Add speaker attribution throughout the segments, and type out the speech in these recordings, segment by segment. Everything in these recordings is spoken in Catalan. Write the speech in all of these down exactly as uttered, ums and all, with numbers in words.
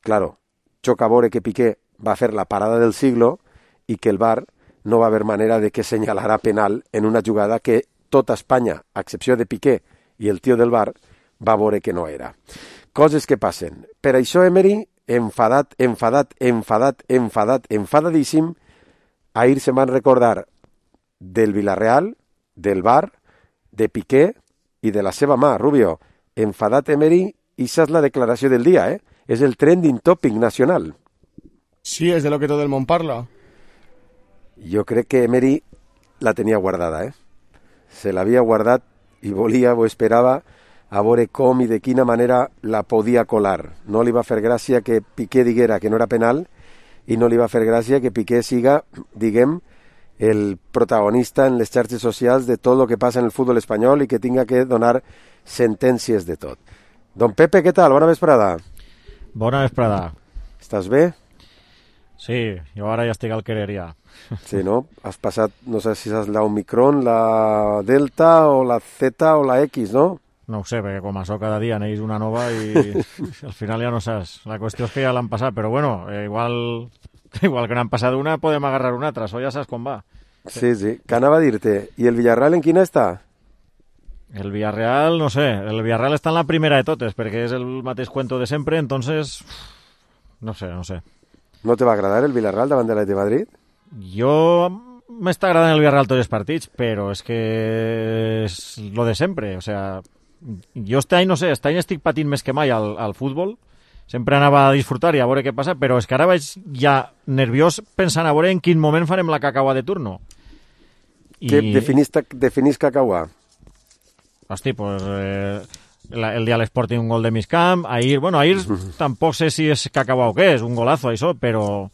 Speaker 1: claro, xoca a veure que Piqué va a fer la parada del siglo i que el V A R no va haver manera de que senyalarà penal en una jugada que tota Espanya, a excepció de Piqué i el tio del V A R, va veure que no era. Coses que passen. Per això Emery, enfadat, enfadat, enfadat, enfadat, enfadadíssim, ahir se van recordar del Villarreal, del V A R, de Piqué i de la seva mà, Rubio. Enfadat Emery, i esa és la declaració del dia, ¿eh? És el trending topic nacional.
Speaker 2: Sí, és de lo que tot el món parla.
Speaker 1: Jo crec que Emery la tenia guardada, ¿eh? Se l'havia guardat i volia o esperava a veure com i de quina manera la podia colar. No li va fer gràcia que Piqué diguera que no era penal i no li va fer gràcia que Piqué siga, diguem, el protagonista en les xarxes socials de tot el que passa en el futbol espanyol i que tinga que donar sentències de tot. Don Pepe, què tal? Bona vesprada.
Speaker 3: Bona vesprada.
Speaker 1: Estàs bé?
Speaker 3: Sí, jo ara ja estic al querer ja.
Speaker 1: Sí, no? Has passat, no sé si és la Omicron, la Delta o la Z o la X, no?
Speaker 3: No ho sé, perquè com això cada dia neix una nova i al final ja no saps. La qüestió és que ja l'han passat, però bueno, eh, igual, igual que n'han passat una, podem agarrar una altra, això ja saps com va.
Speaker 1: Sí, sí. Què anava a dir-te? I el Villarreal en quina està?
Speaker 3: El Villarreal, no sé, el Villarreal està en la primera de totes, perquè és el mateix cuento de sempre, entonces, no sé, no sé.
Speaker 1: No te va agradar el Villarreal davant de l'Atlètic de Madrid?
Speaker 3: Jo m'està agradant el Villarreal tots els partits, però és que és lo de sempre, o sea, jo este any, no sé, este any estic patint més que mai al, al futbol, sempre anava a disfrutar i a veure què passa, però és que ara vaig ja nerviós pensant a veure en quin moment farem la cacaua de turno.
Speaker 1: I... Què definís, definís cacaua?
Speaker 3: Hosti, pues eh, la, el dia de l'Sporting un gol de Miscamp, ahir, bueno, ahir tampoc sé si és cacaua o què, és un golazo això, però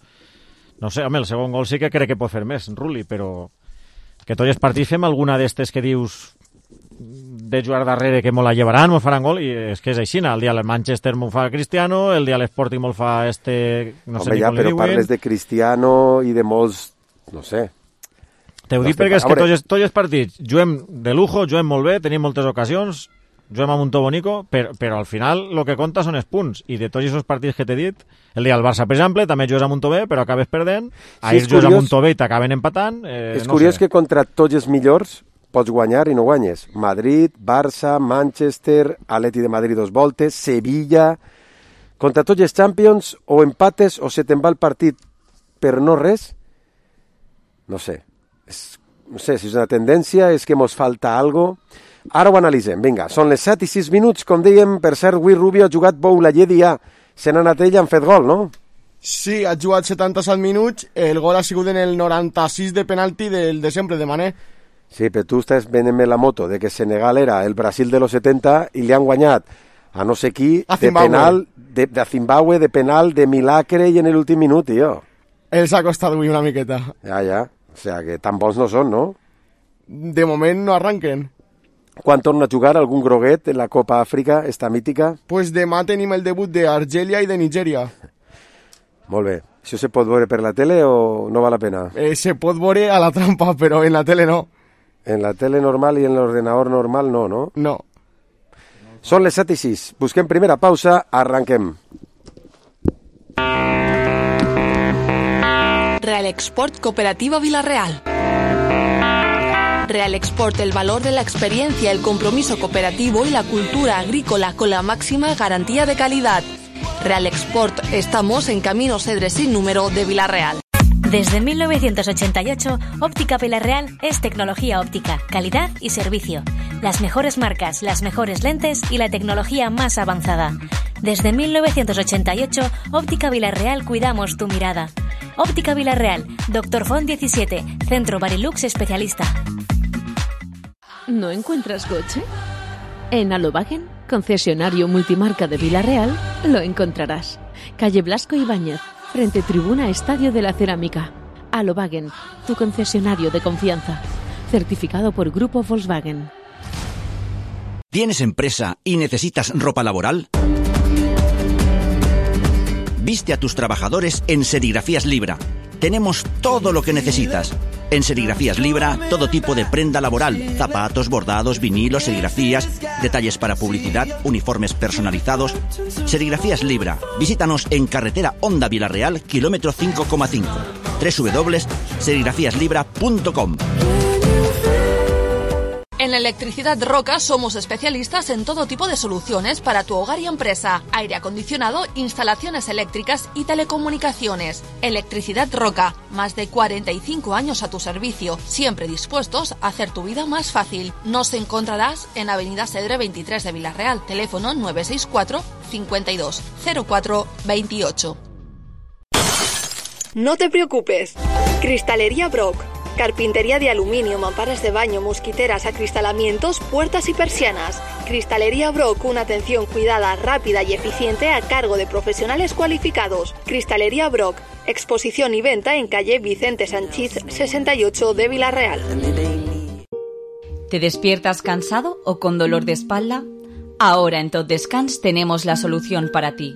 Speaker 3: no sé, home, el segon gol sí que crec que pot fer més, Rulli, però que tots els partits fem alguna d'estes que dius de jugar darrere que mos la llevaran, mos faran gol, i és que és així, el dia del Manchester m'ho fa Cristiano, el dia de l'Sporting m'ho fa este, no sé
Speaker 1: home,
Speaker 3: ni
Speaker 1: ja,
Speaker 3: com li
Speaker 1: però
Speaker 3: diuen.
Speaker 1: Parles de Cristiano i de molts, no sé.
Speaker 3: Te ho dic perquè és que tots, tots els partits juguem de lujo, juguem molt bé, tenim moltes ocasions, juguem amb un to bonico, però, però al final el que compta són els punts, i de tots aquests partits que t'he dit, el dia del Barça, per exemple, també jugues amb un to bé, però acabes perdent, ahir sí, jugues amb un to bé i t'acaben empatant. Eh,
Speaker 1: és
Speaker 3: no
Speaker 1: curiós
Speaker 3: sé.
Speaker 1: Que contra tots els millors pots guanyar i no guanyes. Madrid, Barça, Manchester, Atleti de Madrid dos voltes, Sevilla... Contra tots els Champions o empates o se te'n va el partit per no res. No sé. És, no sé si és una tendència, és que mos falta algo. Ara ho analitzem. Vinga, són les set i sis minuts, com dèiem. Per cert, avui Rubio ha jugat Boulaye ja. Se n'ha anat ell, han fet gol, no?
Speaker 2: Sí, ha jugat setanta-set minuts. El gol ha sigut en el noranta-sis de penalti del de sempre, de Mané.
Speaker 1: Sí, però tu estàs venent-me la moto de que Senegal era el Brasil de los setenta i li han guanyat a no sé qui de penal, de, de Zimbabue, de penal, de milagre i en l'últim minut, tio.
Speaker 2: Els ha costat avui una miqueta.
Speaker 1: Ja, ja. O sea, que tan bons no són, no?
Speaker 2: De moment no arranquen.
Speaker 1: Quan torna a jugar algun groguet en la Copa Àfrica, esta mítica?
Speaker 2: Pues demà tenim el debut d'Argèlia i de Nigèria.
Speaker 1: Molt bé. Això se pot veure per la tele o no val la pena?
Speaker 2: Eh, se pot veure a la trampa, però en la tele no.
Speaker 1: En la tele normal i en l'ordenador normal no, no?
Speaker 2: No.
Speaker 1: Són les set i sis. Busquem primera pausa, arranquem.
Speaker 4: Real Export Cooperativa Villarreal. Real Export, el valor de la experiencia, el compromiso cooperativo y la cultura agrícola con la máxima garantía de calidad. Real Export, estamos en Camino Cedres sin número de Villarreal.
Speaker 5: Desde mil novecientos ochenta y ocho, Óptica Villarreal es tecnología óptica, calidad y servicio. Las mejores marcas, las mejores lentes y la tecnología más avanzada. Desde mil novecientos ochenta y ocho, Óptica Villarreal cuidamos tu mirada. Óptica Villarreal, Doctor Font diecisiete, Centro Barilux especialista.
Speaker 6: ¿No encuentras coche? En Alobagen, concesionario multimarca de Villarreal, lo encontrarás. Calle Blasco Ibáñez, frente Tribuna Estadio de la Cerámica. Alobagen, tu concesionario de confianza. Certificado por Grupo Volkswagen.
Speaker 7: ¿Tienes empresa y necesitas ropa laboral? Viste a tus trabajadores en Serigrafías Libra. Tenemos todo lo que necesitas. En Serigrafías Libra, todo tipo de prenda laboral, zapatos, bordados, vinilos, serigrafías, detalles para publicidad, uniformes personalizados. Serigrafías Libra. Visítanos en carretera Honda Vilarreal, kilómetro cinco coma cinco. doble u doble u doble u punto serigrafías libra punto com.
Speaker 4: En Electricidad Roca somos especialistas en todo tipo de soluciones para tu hogar y empresa. Aire acondicionado, instalaciones eléctricas y telecomunicaciones. Electricidad Roca, más de cuarenta y cinco años a tu servicio, siempre dispuestos a hacer tu vida más fácil. Nos encontrarás en Avenida Cedre veintitrés de Vilarreal, teléfono nueve seis cuatro, cincuenta y dos, cero cuatro, veintiocho.
Speaker 8: No te preocupes. Cristalería Brock. Carpintería de aluminio, mamparas de baño, mosquiteras, acristalamientos, puertas y persianas. Cristalería Brock, una atención cuidada, rápida y eficiente a cargo de profesionales cualificados. Cristalería Brock, exposición y venta en calle Vicente Sanchís sesenta y ocho de Vilarreal.
Speaker 9: ¿Te despiertas cansado o con dolor de espalda? Ahora en Tot Descans tenemos la solución para ti.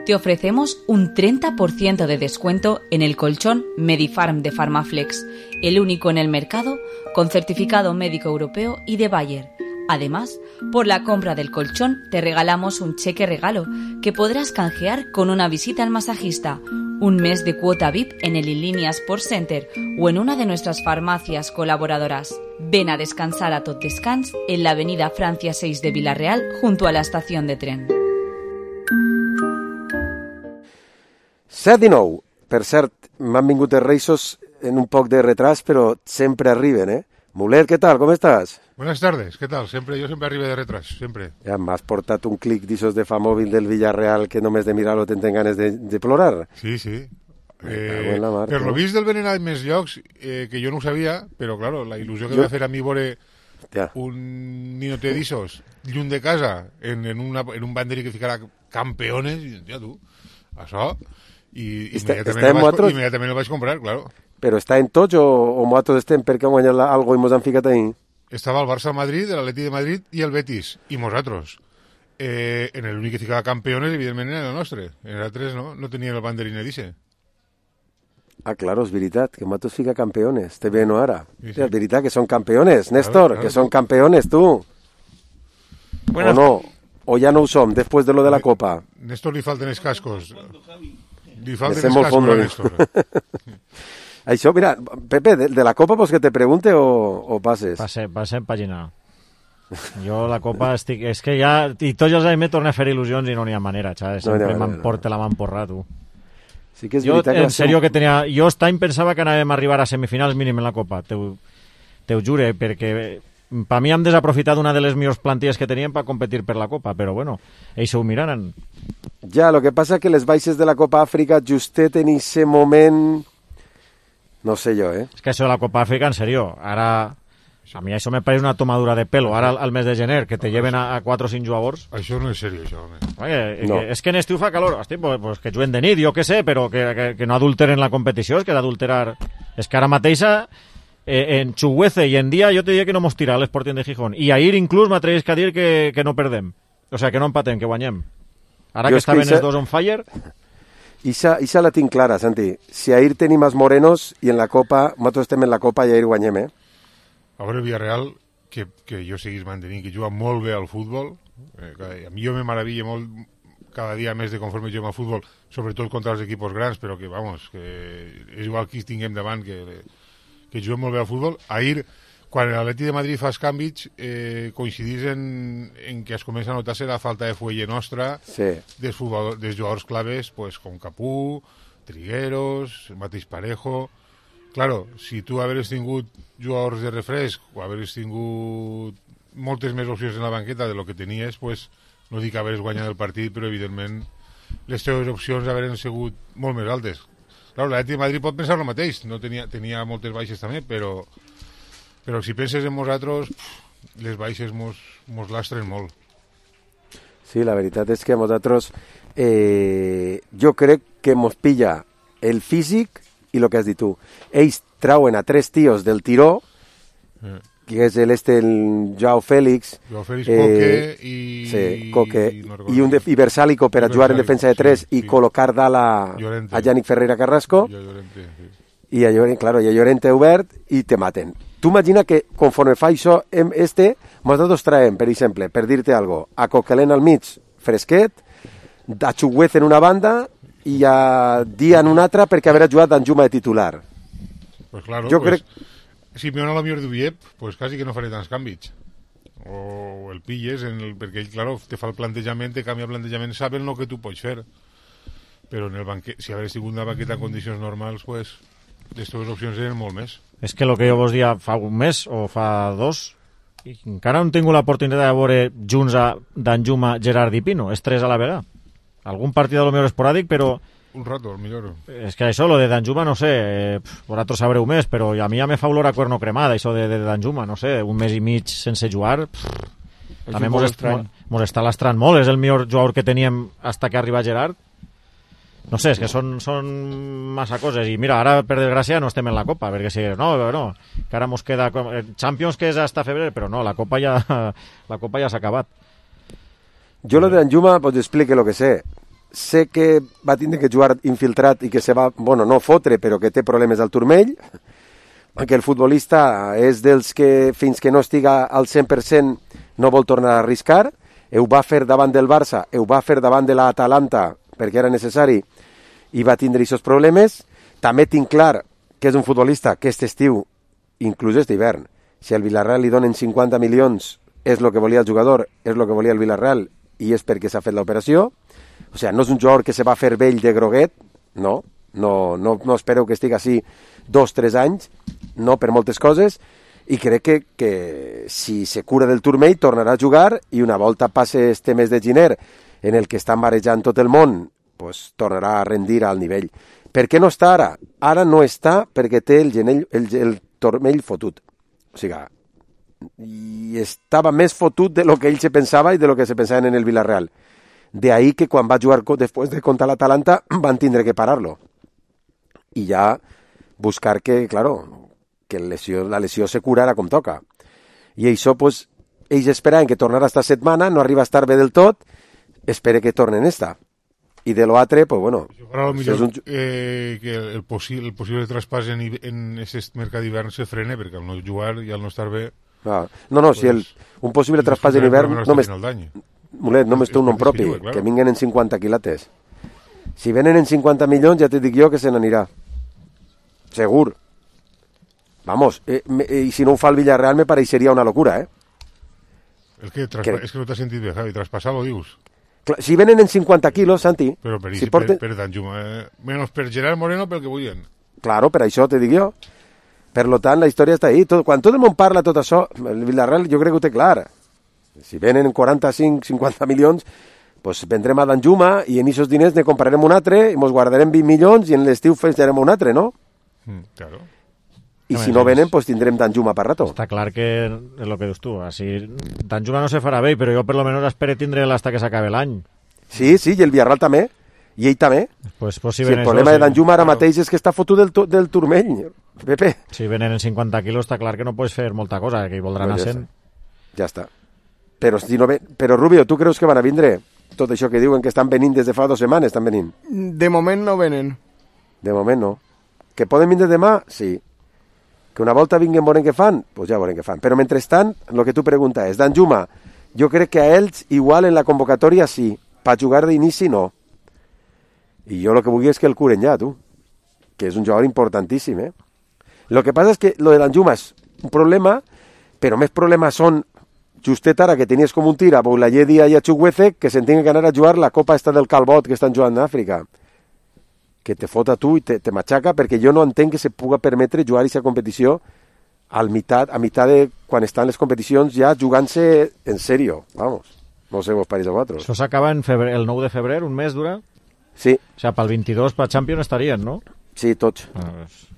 Speaker 9: Te ofrecemos un treinta por ciento de descuento en el colchón Medifarm de Pharmaflex, el único en el mercado con certificado médico europeo y de Bayer. Además, por la compra del colchón te regalamos un cheque regalo que podrás canjear con una visita al masajista, un mes de cuota V I P en el Inlínea Sports Center o en una de nuestras farmacias colaboradoras. Ven a descansar a Tot Descans en la avenida Francia seis de Vilarreal junto a la estación de tren.
Speaker 1: set i nou. Per cert, m'han vingut els Reisos en un poc de retras, pero sempre arriben, ¿eh? Mulet, ¿qué tal? ¿Cómo estás?
Speaker 10: Buenas tardes, ¿qué tal? Siempre, yo siempre arriba de retras, siempre.
Speaker 1: Ja m'has portat un clic d'ixos de fa mòbil del Villarreal que només de mirar-lo te'n ganes de, de plorar.
Speaker 10: Sí, sí.
Speaker 1: Eh,
Speaker 10: mar, per lo vist del venen a més llocs, eh, que jo no ho sabia, però claro, la il·lusió que jo... va fer a mi veure un ninote d'ixos lluny de casa en, en, una, en un banderi que ficarà campeones, i ja tu, això... i
Speaker 1: està,
Speaker 10: immediatament,
Speaker 1: està
Speaker 10: el vaig,
Speaker 1: otros...
Speaker 10: immediatament el vaig comprar, claro.
Speaker 1: Però està en tots o, o nosaltres estem perquè hem guanyat algo i mos han ficat ahí?
Speaker 10: Estava el Barça Madrid, l'Atleti de Madrid i el Betis, i nosaltres. Eh, en l'únic que ficava campeones, evidentment, era el nostre. En l'altres no, no tenien el banderín d'Ixe.
Speaker 1: Ah, claro, és veritat, que nosaltres fica campeones. Te ve no ara.
Speaker 10: Sí, sí.
Speaker 1: És veritat que són campeones, Néstor, claro, claro, que són campeones, tu. Buenas. O no, o ja no ho som, després de lo de la Copa.
Speaker 10: Néstor li falten els cascos. Li falten els cascos a Néstor.
Speaker 1: Això, mira, Pepe, de, de la Copa pues que te pregunte o, o passes?
Speaker 3: Passe, passem pàgina. Jo la Copa estic... És que ja... I tots els anys me torna a fer il·lusions i no n'hi ha manera, ¿sabes? Sempre no, no, m'emporta no. la m'emporrar, tu.
Speaker 1: Sí que és
Speaker 3: jo,
Speaker 1: veritat
Speaker 3: en
Speaker 1: que
Speaker 3: sèrio que tenia... Jo aquest any pensava que anàvem a arribar a semifinals mínim en la Copa, te ho, te ho jure, perquè per mi hem desaprofitat una de les millors plantilles que teníem per competir per la Copa, però bueno, ells ho miraran.
Speaker 1: Ja, lo que passa que les baixes de la Copa Àfrica justet en ese moment... No sé jo, eh?
Speaker 3: És que això de la Copa Àfrica, en serio, ara... A mi això me pareix una tomadura de pelo, ara al, al mes de gener, que te lleven a, a quatre o cinc jugadors.
Speaker 10: Això no és seriós, això, home.
Speaker 3: Oye,
Speaker 1: no.
Speaker 3: que, és que en estiu fa calor, hosti, pues, pues que juguen de nit, jo què sé, però que, que, que no adulteren la competició, és que d'adulterar... És que ara mateixa, eh, en Chuguece i en dia, jo te diria que no mos tira l'Sporting de Gijón. I ahir inclús m'atrevis a dir que, que no perdem. O sea, que no empatem, que guanyem. Ara jo que estaven els dos on fire...
Speaker 1: Ixa, ixa la tinc clara, Santi. Si ahir tenim els morenos i en la Copa, nosaltres estem en la Copa i ahir guanyem, eh?
Speaker 10: A veure, Villarreal, que, que jo seguís mantenint, que juga molt bé al futbol, eh, a mi jo me maravilla molt cada dia més de conforme juguem al futbol, sobretot contra els equipos grans, però que, vamos, que és igual que tinguem davant, que, que juguem molt bé al futbol. Ahir, quan l'Atleti de Madrid fa els canvis, eh, coincidís en, en que es comença a notar-se la falta de fuelle nostra,
Speaker 1: sí.
Speaker 10: dels, futbol, dels jugadors claves, pues, com Capú, Trigueros, el mateix Parejo... Claro, si tu haveres tingut jugadors de refresc o haveres tingut moltes més opcions en la banqueta de lo que tenies, pues, no dic haveres guanyat el partit, però evidentment les teves opcions haveren sigut molt més altes. Claro, l'Atleti de Madrid pot pensar el mateix, no tenia, tenia moltes baixes també, però, però si penses en nosaltres, les baixes mos, mos lastren molt.
Speaker 1: Sí, la veritat és que a nosaltres eh, jo crec que mos pilla el físic i el que has dit tu. Ells trauen a tres tios del tiró, eh. que és el este, el Joao Félix,
Speaker 10: Joao Félix, eh, Coque i...
Speaker 1: Sí, Coque, i, no i un de, i Versalico per a jugar en defensa de tres sí, i sí. col·locar dalt a, a Yannick Ferreira Carrasco.
Speaker 10: Llorente, sí.
Speaker 1: i a Llorent, claro, i a Llorent té obert i te maten. Tu imagina que conforme fa això este, nosaltres traiem, per exemple, per dir-te algo, a Coquelin al mig, fresquet, a Chukwueze en una banda i a Dia en una altra perquè haurà jugat Danjuma de titular.
Speaker 10: Pues claro,
Speaker 1: jo
Speaker 10: pues,
Speaker 1: crec...
Speaker 10: si me a la millor d'Ubiep, pues quasi que no faré tants canvis. O el pilles, en el, perquè ell, claro, te fa el plantejament, te canvia el plantejament, saben el que tu pots fer. Però en el banquet, si hagués tingut una banqueta en condicions normals, pues, les teves opcions eren molt més.
Speaker 3: És que el que jo vos dia fa un mes o fa dos, i encara no he tingut l'oportunitat de veure junts a Danjuma, Gerard i Pino, és tres a la vegada. Algun partit a lo millor esporàdic, però...
Speaker 10: Un rato, al millor.
Speaker 3: És que això, lo de Danjuma, no sé, eh, vosaltres sabreu més, però a mi ja me fa olor a cuerno cremada, això de, de Danjuma, no sé, un mes i mig sense jugar, pff, també mos, est, mos està lastrant molt, és el millor jugador que teníem hasta que arriba Gerard. No sé, és que són, són massa coses, i mira, ara per desgràcia no estem en la Copa, perquè si no, no, que ara mos queda Champions, que és hasta febrer, però no, la Copa ja la Copa ja s'ha acabat.
Speaker 1: Jo lo de Danjuma, pues explique lo que sé. Sé que va tindre que jugar infiltrat i que se va, bueno, no fotre, però que té problemes al turmell, que el futbolista és dels que fins que no estiga al cent per cent no vol tornar a arriscar, ho va fer davant del Barça, ho va fer davant de l'Atalanta perquè era necessari i va tindre aquests problemes. També tinc clar que és un futbolista que aquest estiu, inclús aquest hivern, si al Villarreal li donen cinquanta milions és el que volia el jugador, és el que volia el Villarreal i és perquè s'ha fet l'operació. O sigui, no és un jugador que se va fer vell de groguet, no, no, no, no espero que estigui així dos, tres anys, no, per moltes coses, i crec que, que si se cura del turmell tornarà a jugar i una volta passe este mes de gener en el que està marejant tot el món, pues, tornarà a rendir al nivell. Per què no està ara? Ara no està perquè té el, genell, el, el turmell fotut. O sigui, i estava més fotut de lo que ell se pensava i de lo que se pensaven en el Villarreal. De ahí que quan va jugar después de contra l'Atalanta van tindre que parar-lo. I ja buscar que, claro, que lesió, la lesió se curara com toca. I això, pues, ells esperaven que tornara esta setmana, no arriba a estar bé del tot, espere que tornen esta. I de lo altre, pues bueno...
Speaker 10: Ara, si millor, un... eh, que el, possi el possible traspàs en, en aquest mercat d'hivern se frene, perquè al no jugar i al no estar bé...
Speaker 1: Ah, no, no, pues, si el, un possible traspàs en hivern... Només, Mulet, només té un nom propi, claro. Que vinguen en cinquanta quilates. Si venen en cinquanta milions, ja te dic jo que se n'anirà. Segur. Vamos, eh, me, eh, si no ho fa el Villarreal me pareixeria una locura, eh?
Speaker 10: El que, traspa... que... És que no t'has sentit bé, Javi, traspasar-lo, dius?
Speaker 1: Clar, si venen en cinquanta quilos, Santi...
Speaker 10: Però per,
Speaker 1: si
Speaker 10: per,
Speaker 1: porten...
Speaker 10: per Danjuma, eh? Menos per Gerard Moreno pel que vullien.
Speaker 1: Claro, per això te dic jo. Per lo tant, la història està ahí. Tot, quan tot el món parla tot això, el Villarreal jo crec que ho té clar. Si venen quaranta-cinc cinquanta milions, pues vendrem a Danjuma i en aquests diners ne comprarem un altre i ens guardarem vint milions i en l'estiu farem un altre, no?
Speaker 10: Mm, claro.
Speaker 1: I si no venen, pues tindrem Danjuma per rato.
Speaker 3: Està clar que és el que dius tu. Así, Danjuma no se farà bé, però jo per lo menos espero tindre'l hasta que s'acabe l'any.
Speaker 1: Sí, sí, i el Villarreal també. I ell també.
Speaker 3: Pues, pues si
Speaker 1: sí, el
Speaker 3: eso,
Speaker 1: problema
Speaker 3: sí.
Speaker 1: de Danjuma ara mateix és que està fotut del, del turmell, Pepe.
Speaker 3: Si venen en cinquanta quilos està clar que no pots fer molta cosa, que hi voldran
Speaker 1: pues
Speaker 3: a
Speaker 1: ja
Speaker 3: cent.
Speaker 1: Està. Ja està. Però, si no ve... Però Rubio, tu creus que van a vindre tot això que diuen que estan venint des de fa dues setmanes? Estan venint?
Speaker 2: De moment no venen.
Speaker 1: De moment no. Que poden vindre demà? Sí. Que una volta vinguin veurem què fan? Doncs pues ja veurem què fan. Però mentrestant, el que tu pregunta és, Danjuma, jo crec que a ells igual en la convocatòria sí, per jugar d'inici no. I jo el que vull és que el curen ja, tu. Que és un jugador importantíssim, eh? Lo que passa és que lo de Danjuma és un problema, però més problemes són justet ara que tenies com un tir a Boulaye Dia i a Chukwueze que se'n tinguen que anar a jugar la copa esta del Calbot que estan jugant a Àfrica. Que te fota tu i te, te matxaca perquè jo no entenc que se puga permetre jugar aquesta competició al mitat, a mitat de quan estan les competicions ja jugant-se en sèrio. Vamos, no sé vos pareix a vosaltres.
Speaker 3: Això s'acaba en febrer, el nou de febrer, un mes dura?
Speaker 1: Sí.
Speaker 3: O sigui, pel vint-i-dos per Champions estarien, no?
Speaker 1: Sí, tots.
Speaker 3: Ah, pues...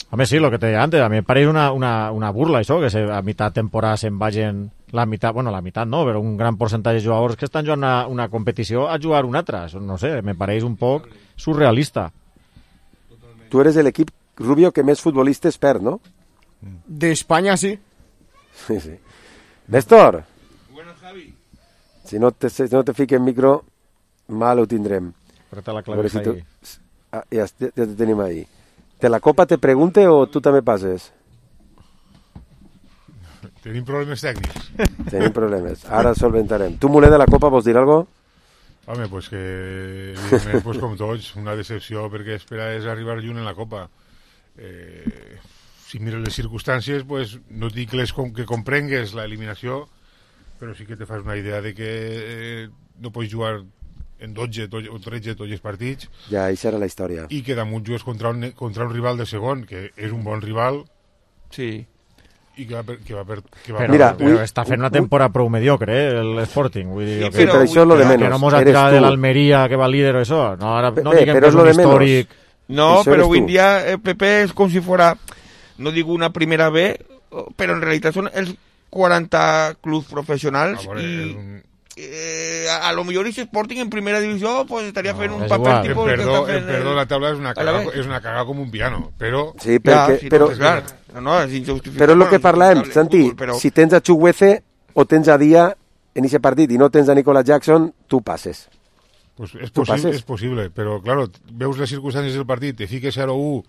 Speaker 3: A més, sí, lo que te deia antes, a mi em pareix una, una, una burla, això, que se, a mitad temporada se'n vagin la meitat, bueno, la meitat no, però un gran percentatge de jugadors que estan jugant una, una competició a jugar una altra. No sé, me pareix un poc surrealista.
Speaker 1: Tu eres l'equip, Rubio, que més futbolistes perd, no?
Speaker 2: De España, sí.
Speaker 1: Sí, sí. Néstor. Bueno, Javi. Si no te, si no te fiques en micro, mal ho tindrem.
Speaker 3: Apreta la clavija
Speaker 1: si tu...
Speaker 3: ahí.
Speaker 1: Ah, ja, ja te tenim ahí. De la Copa te pregunte o tu també passes?
Speaker 10: Tenim problemes tècnics.
Speaker 1: Tenim problemes. Ara solventarem. Tu, Mulet, de la Copa, vols dir alguna cosa?
Speaker 10: Home, pues que, evidentment, pues com tots, una decepció perquè esperaves arribar lluny en la Copa. Eh, si mires les circumstàncies, pues no dic les com, que comprengues la eliminació, però sí que te fas una idea de que eh, no pots jugar en dotze o tretze tots els partits.
Speaker 1: Ja, això era la història.
Speaker 10: I que damunt jugues contra un, contra un rival de segon, que és un bon rival.
Speaker 11: Sí.
Speaker 10: I que va per... Que va per que va
Speaker 3: però,
Speaker 1: Mira,
Speaker 3: però
Speaker 1: ui,
Speaker 3: està fent una temporada prou mediocre, eh, l'Sporting. Vull dir,
Speaker 11: Sí,
Speaker 3: que,
Speaker 1: Sí, però això és lo de
Speaker 3: que,
Speaker 1: menos.
Speaker 3: que no mos ha
Speaker 1: Eres
Speaker 3: tirat
Speaker 1: tu.
Speaker 3: de l'Almeria, que va líder o això. No, ara no
Speaker 1: Bé,
Speaker 3: diguem
Speaker 1: però
Speaker 3: que és
Speaker 1: és lo
Speaker 3: un
Speaker 1: de menos.
Speaker 3: històric.
Speaker 11: No,
Speaker 1: Eso
Speaker 11: pero
Speaker 1: eres
Speaker 11: hoy en
Speaker 1: tú.
Speaker 11: día el P P es como si fuera, no digo una primera B, pero en realidad son els quaranta clubs professionals
Speaker 10: Ah, bueno,
Speaker 11: i
Speaker 10: és un-
Speaker 11: eh, a, a lo millor ese Sporting en primera divisió pues estaría
Speaker 3: No,
Speaker 11: haciendo un
Speaker 3: és
Speaker 11: papel
Speaker 3: igual.
Speaker 10: En
Speaker 11: tipo el que
Speaker 10: perdó,
Speaker 11: està
Speaker 10: en
Speaker 11: fent
Speaker 10: perdó
Speaker 11: el-
Speaker 10: la taula és una,
Speaker 11: a la
Speaker 10: cagada,
Speaker 11: vez.
Speaker 10: és una cagada com un piano, però...
Speaker 1: Sí,
Speaker 11: Ja,
Speaker 1: perquè...
Speaker 11: sí,
Speaker 1: però,
Speaker 11: pues, clar, no, és injustificable.
Speaker 1: però és el que
Speaker 11: bueno,
Speaker 1: parlàvem,
Speaker 11: injustificable,
Speaker 1: Santi,
Speaker 11: fútbol, però...
Speaker 1: si tens a Chukwueze o tens a Dia en aquest partit i no tens a Nicolas Jackson, tu passes.
Speaker 10: Pues és,
Speaker 1: Tu
Speaker 10: possi
Speaker 1: passes.
Speaker 10: és possible, però, claro, veus les circumstàncies del partit, te fiques zero a u,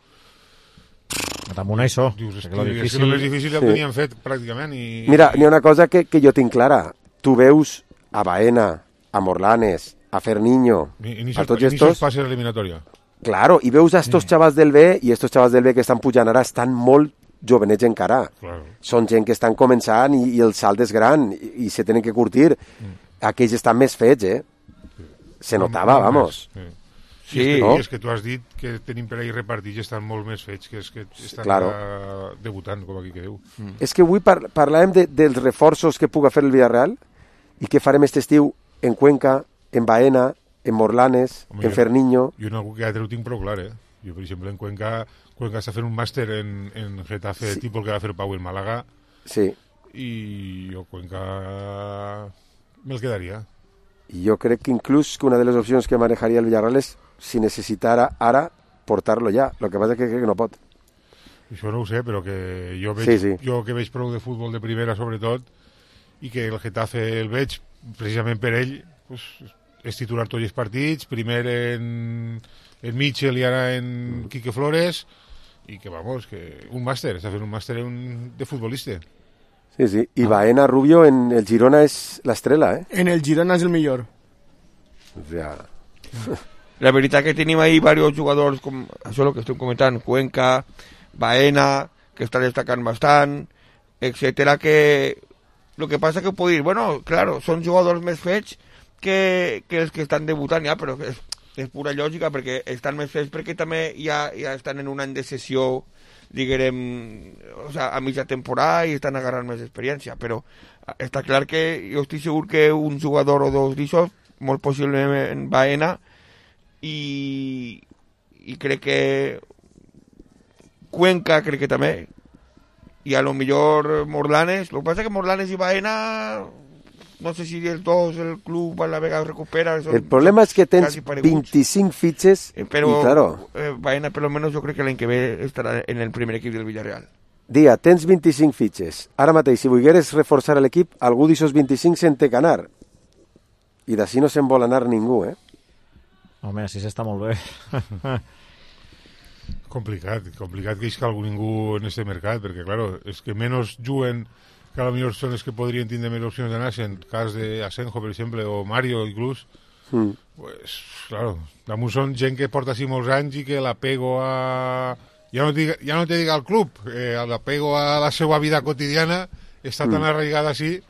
Speaker 3: Damunt això.
Speaker 10: dius, és
Speaker 3: que
Speaker 10: que,
Speaker 3: lo
Speaker 10: és que
Speaker 3: difícil...
Speaker 10: el més difícil ja ho
Speaker 1: Sí.
Speaker 10: tenien fet, pràcticament, i...
Speaker 1: Mira, n'hi ha una cosa que, que jo tinc clara. Tu veus a Baena, a Morlanes, a Ferniño,
Speaker 10: Ni, ni
Speaker 1: a tots
Speaker 10: ni
Speaker 1: estos...
Speaker 10: passes l'eliminatòria.
Speaker 1: Claro, i veus a estos xavals del B, i estos xavals del B que estan pujant ara estan molt jovenets encara.
Speaker 10: Claro.
Speaker 1: Són gent que estan començant i, i el salt és gran i, i se tenen que curtir. Mm. Aquells estan més fets, eh? Se notava,
Speaker 10: Molt
Speaker 1: vamos.
Speaker 10: més, Sí.
Speaker 11: Sí,
Speaker 10: I és, que,
Speaker 1: no?
Speaker 10: i és que tu has dit que tenim per ahí repartits i estan molt més fets, que és que estan
Speaker 1: Claro.
Speaker 10: a, debutant, com aquí que diu.
Speaker 11: Mm.
Speaker 1: És que avui par parlàvem de, dels reforços que puga fer el Villarreal i què farem este estiu en Cuenca, en Baena, en Morlanes,
Speaker 10: Home,
Speaker 1: en Ferniño...
Speaker 10: Jo en algú que altre ho tinc prou clar, eh? Jo, per exemple, en Cuenca, Cuenca està fent un màster en, en Getafe,
Speaker 1: Sí.
Speaker 10: tipus el que va fer Pau en Màlaga,
Speaker 1: Sí,
Speaker 10: i jo Cuenca me'l quedaria.
Speaker 1: i jo crec que inclús que una de les opcions que manejaria el Villarreal és, si necessitara ara, portar-lo ja. Lo que passa és que crec que no pot.
Speaker 10: Això no ho sé, però que jo veig,
Speaker 1: Sí, sí.
Speaker 10: jo que veig prou de futbol de primera, sobretot, i que el Getafe el veig, precisament per ell, pues, és titular tots els partits, primer en, en Mitchell i ara en Quique Flores, i que, vamos, que un màster, està fent un màster en, de futbolista.
Speaker 1: Sí, sí. I Baena Rubio en el Girona és l'estrela, eh?
Speaker 2: En el Girona és el millor.
Speaker 1: O sea,
Speaker 11: La veritat que tenim ahí varios jugadors, com això el que estem comentant, Cuenca, Baena, que està destacant bastant, etcètera, que lo que passa que puc dir, bueno, claro, són jugadors més fets que, que els que estan debutant ja, però és, és pura lògica perquè estan més fets perquè també ja, ja estan en un any de sessió, diguem, o sea, a mitja temporada i estan agarrant més experiència, però està clar que jo estic segur que un jugador o dos d'això, molt possiblement Baena, i, i crec que Cuenca crec que també, i a lo millor Morlanes. Lo que pasa es que Morlanes y Baena, no sé si el dos el club a la vega recupera. Son,
Speaker 1: el problema és que tens
Speaker 11: casi pareguts.
Speaker 1: vint-i-cinc fitxes
Speaker 11: Eh, Pero
Speaker 1: i, claro,
Speaker 11: eh, Baena, por lo menos, yo creo que el año que ve estará en el primer equipo del Villarreal.
Speaker 1: dia, tens vint-i-cinc fitxes. Ara mateix, si volgueres reforçar l'equip, algú d'aixòs vint-i-cinc se'n té que anar. I d'ací no se'n vol anar ningú, eh?
Speaker 3: Home, així s'està molt bé.
Speaker 10: Complicat, complicat que isca algú ningú en este mercat, perquè, claro, és que menys juguen, que a lo millor són els que podrien tindre més opcions d'anar, en cas de Asenjo, per exemple, o Mario, inclús,
Speaker 1: Mm.
Speaker 10: pues, claro, damunt són gent que porta així molts anys i que l'apego a... Ja no, diga, ja no te diga al club, eh, l'apego a la seva vida quotidiana està tan
Speaker 1: Mm.
Speaker 10: arraigada així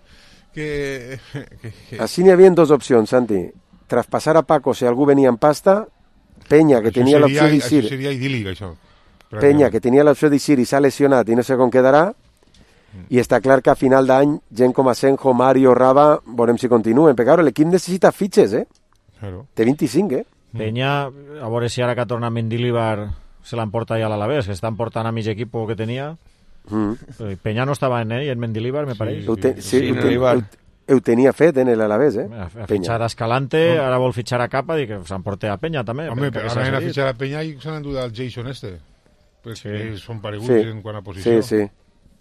Speaker 10: que... que, que...
Speaker 1: Així n'hi havia dues opcions, Santi. Traspassar a Paco si algú venia en pasta, Peña, que
Speaker 10: Això
Speaker 1: tenia l'opció
Speaker 10: seria-
Speaker 1: d'eixir.
Speaker 10: Això seria idíl·lic, això.
Speaker 1: Peña, que tenia l'opció d'eixir i s'ha lesionat i no sé com quedarà. I està clar que a final d'any, gent com Asenjo, Mario, Raba, veurem si continuen. Perquè ara l'equip necessita fitxes, eh?
Speaker 10: Claro.
Speaker 1: Té vint-i-cinc, eh?
Speaker 3: Peña, a veure si ara que torna Mendilibar se l'emporta ja a l'Alavés, que estan portant a mig equip que tenia.
Speaker 1: Mm.
Speaker 3: Eh, Peña no estava en ell, en Mendilibar, me pareix.
Speaker 1: Ho, te, sí,
Speaker 11: Sí,
Speaker 1: ho,
Speaker 11: en
Speaker 1: te,
Speaker 11: l'Eibar.
Speaker 1: ho, ho tenia fet en l'Alavés, eh?
Speaker 3: Ha, ha
Speaker 1: Peña.
Speaker 3: fitxat a Escalante, ara vol fitxar a Capa, i que s'emporta a Peña també.
Speaker 10: Home,
Speaker 3: perquè
Speaker 10: però
Speaker 3: s'ha
Speaker 10: ara han
Speaker 3: cedit.
Speaker 10: fitxat a Peña i s'han endut al Jason este. Perquè
Speaker 3: Sí.
Speaker 10: són pareguts
Speaker 1: Sí.
Speaker 10: en quant a posició.
Speaker 1: Sí, sí.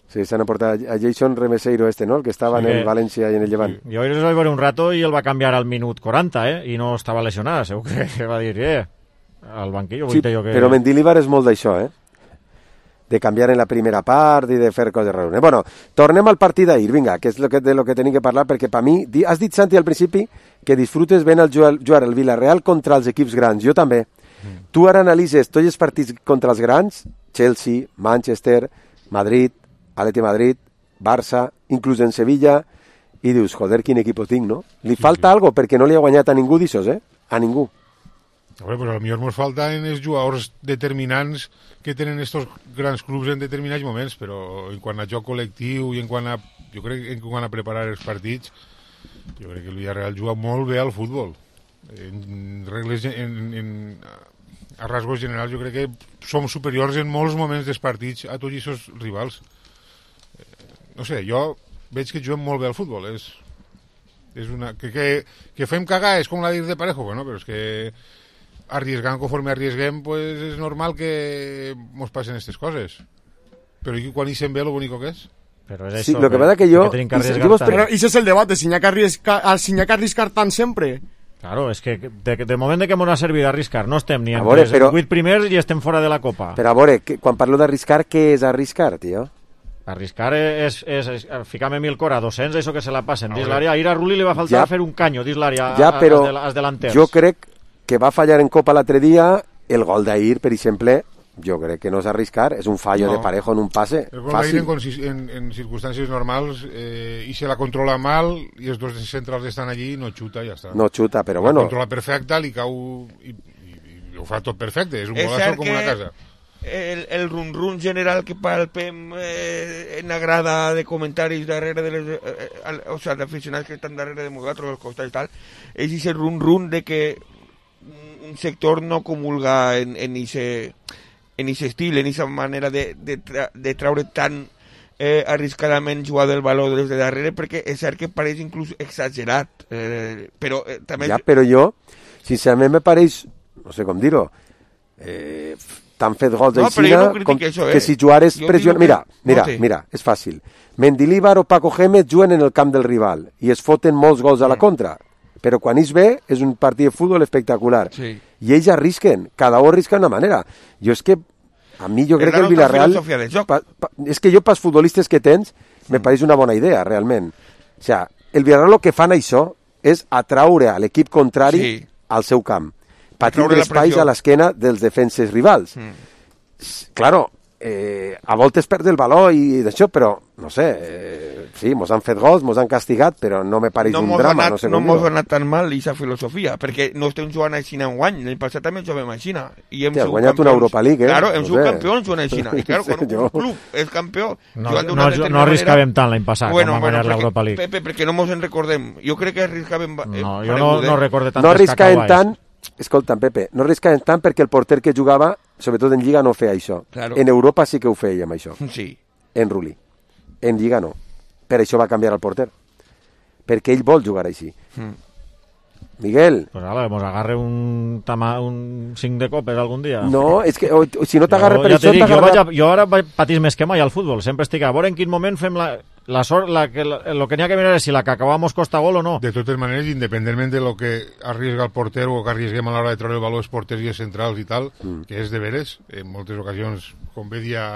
Speaker 1: Sí, s'han aportat a Jason Remeseiro este, no? El que estava
Speaker 3: Sí,
Speaker 1: en el
Speaker 3: que-
Speaker 1: València i en el Llevant.
Speaker 3: Jo ahir es vaig veure un rato i el va canviar al minut quaranta, eh? I no estava lesionat, segur que va dir, eh, al banquillo,
Speaker 1: Sí,
Speaker 3: vull dir jo que...
Speaker 1: però Mendilibar és molt d'això, eh? de canviar en la primera part i de fer coses rares. Bueno, tornem al partit d'ahir, vinga, que és lo que, de lo que tenim que parlar, perquè per mi, has dit, Santi, al principi, que disfrutes ben el jugar, jugar el Villarreal contra els equips grans, jo també. Mm. Tu ara analitzes tots els partits contra els grans, Chelsea, Manchester, Madrid, Atleti Madrid, Barça, inclús en Sevilla, i dius, joder, quin equip tinc, no? Li sí, falta sí. algo perquè no li ha guanyat a ningú d'aixòs, eh? A ningú.
Speaker 10: A veure, però potser ens falten els jugadors determinants que tenen estos grans clubs en determinats moments, però en quant a joc col·lectiu i en quant a, jo crec en quant a preparar els partits, jo crec que el Villarreal juga molt bé al futbol. En regles, en, en, a rasgos generals, jo crec que som superiors en molts moments dels partits a tots aquests rivals. No sé, jo veig que juguem molt bé al futbol. És, és una, que, que, que fem cagar és com la dir de Parejo, bueno, però és que arriesgant conforme arriesguem, pues és normal que mos passen aquestes coses. Però i quan hi se'n ve lo bonico que és?
Speaker 3: Però és
Speaker 1: sí,
Speaker 3: això,
Speaker 1: lo que pasa que jo...
Speaker 3: Que que arriesgar
Speaker 2: però ese es el debate, si n'hi ha que arriscar, si n'hi ha que arriscar tant sempre.
Speaker 3: Claro, és que de, de moment de que m'ho ha servit d'arriscar, no estem ni en
Speaker 1: veure,
Speaker 3: els
Speaker 1: però...
Speaker 3: vuit primers i estem fora de la Copa.
Speaker 1: Però a veure, que, quan parlo d'arriscar, què és arriscar, tio?
Speaker 3: Arriscar és, és, és ficar-me mil cor a dos-cents, això que se la passen dins l'àrea. Ahir a Rulli li va faltar ja, fer un canyo dins l'àrea
Speaker 1: ja, però
Speaker 3: als delanters.
Speaker 1: Jo crec que va fallar en Copa l'altre dia. El gol d'ahir, per exemple, jo crec que no és arriscar, és un fallo no. de Parejo en un passe
Speaker 10: el gol
Speaker 1: fàcil.
Speaker 10: En, en, en circumstàncies normals eh, i se la controla mal i els dos centrals estan allí, no xuta i ja està.
Speaker 1: No xuta, però
Speaker 10: la
Speaker 1: bueno.
Speaker 10: La controla perfecta, li cau i, i, i ho fa tot perfecte, és un golazo com una casa.
Speaker 11: El, el run-run general que palpem eh, en la grada de comentaris darrere de les, eh, eh, o sea, d'aficionats que estan darrere de nosaltres, als costats i tal, és ese run-run de que un sector no comulga en, en ese en ese estil, en esa manera de, de, tra de traure tan eh, arriscadament jugar del valor des de darrere, perquè és cert que pareix inclús exagerat, eh, però eh, també...
Speaker 1: Ja, però jo, sincerament me pareix, no sé com dir-ho, eh, t'han fet gols
Speaker 11: no,
Speaker 1: d'Aixina
Speaker 11: no com
Speaker 1: això,
Speaker 11: eh?
Speaker 1: que si jugares pressió... Mira, mira, no sé. mira, és fàcil. Mendilibar o Paco Gémez juguen en el camp del rival i es foten molts gols a la contra, però quan ells ve és un partit de futbol espectacular.
Speaker 11: Sí.
Speaker 1: I ells arrisquen, cada un arrisca d'una manera. Jo és que, a mi jo crec que el Villarreal... Pa, pa, és que jo, pels futbolistes que tens, me pareix una bona idea, realment. O sea, el Villarreal el que fan això és atraure a l'equip contrari sí. al seu camp. Per tindre espais a l'esquena dels defenses rivals. Mm. Claro, eh, a voltes perd el valor i d'això, però, no sé, eh, sí, mos han fet gols, mos han castigat, però no me pareix
Speaker 11: no
Speaker 1: un drama,
Speaker 11: anat,
Speaker 1: no sé
Speaker 11: no
Speaker 1: com
Speaker 11: mos
Speaker 1: dir-ho.
Speaker 11: ha anat tan mal aquesta filosofia, perquè no estem jugant a Xina en guany, l'any passat també juguem a Xina. I hem
Speaker 1: sí, has guanyat campions. Una Europa League, eh?
Speaker 11: Claro, hem
Speaker 1: no
Speaker 11: sigut
Speaker 1: sé.
Speaker 11: campions jugant a Xina. I claro, quan un, un club és campió...
Speaker 3: No, no, no arriscàvem tant l'any passat,
Speaker 11: bueno,
Speaker 3: quan vam guanyar
Speaker 11: bueno,
Speaker 3: l'Europa League.
Speaker 11: Pepe, perquè no mos en recordem. Jo crec que arriscàvem... Eh,
Speaker 3: no, jo no, no recorde tantes
Speaker 1: no arriscàvem tant, escolta'm, Pepe, no arriscàvem tant perquè el porter que jugava, sobretot en Lliga, no feia això.
Speaker 11: Claro.
Speaker 1: En Europa sí que ho feia amb això.
Speaker 11: Sí.
Speaker 1: En Rulli. En Lliga no. Per això va canviar el porter. Perquè ell vol jugar així. Mm. Miguel.
Speaker 3: Pues ara, mos agarre un, tama, un cinc de copes algun dia.
Speaker 1: No, és que o, o, si no t'agarra per
Speaker 3: ja
Speaker 1: això...
Speaker 3: Dic, jo, vaig a, jo ara patís més que mai al futbol. Sempre estic a veure en quin moment fem la, la sort, la, que, la, lo que n'hi ha que mirar és si la que acabamos costa gol o no.
Speaker 10: De totes maneres, independentment de lo que arriesga el porter o que arriesguem a l'hora de treure el valor els porters i els centrals i tal, mm. que és de veres, en moltes ocasions, com bé dia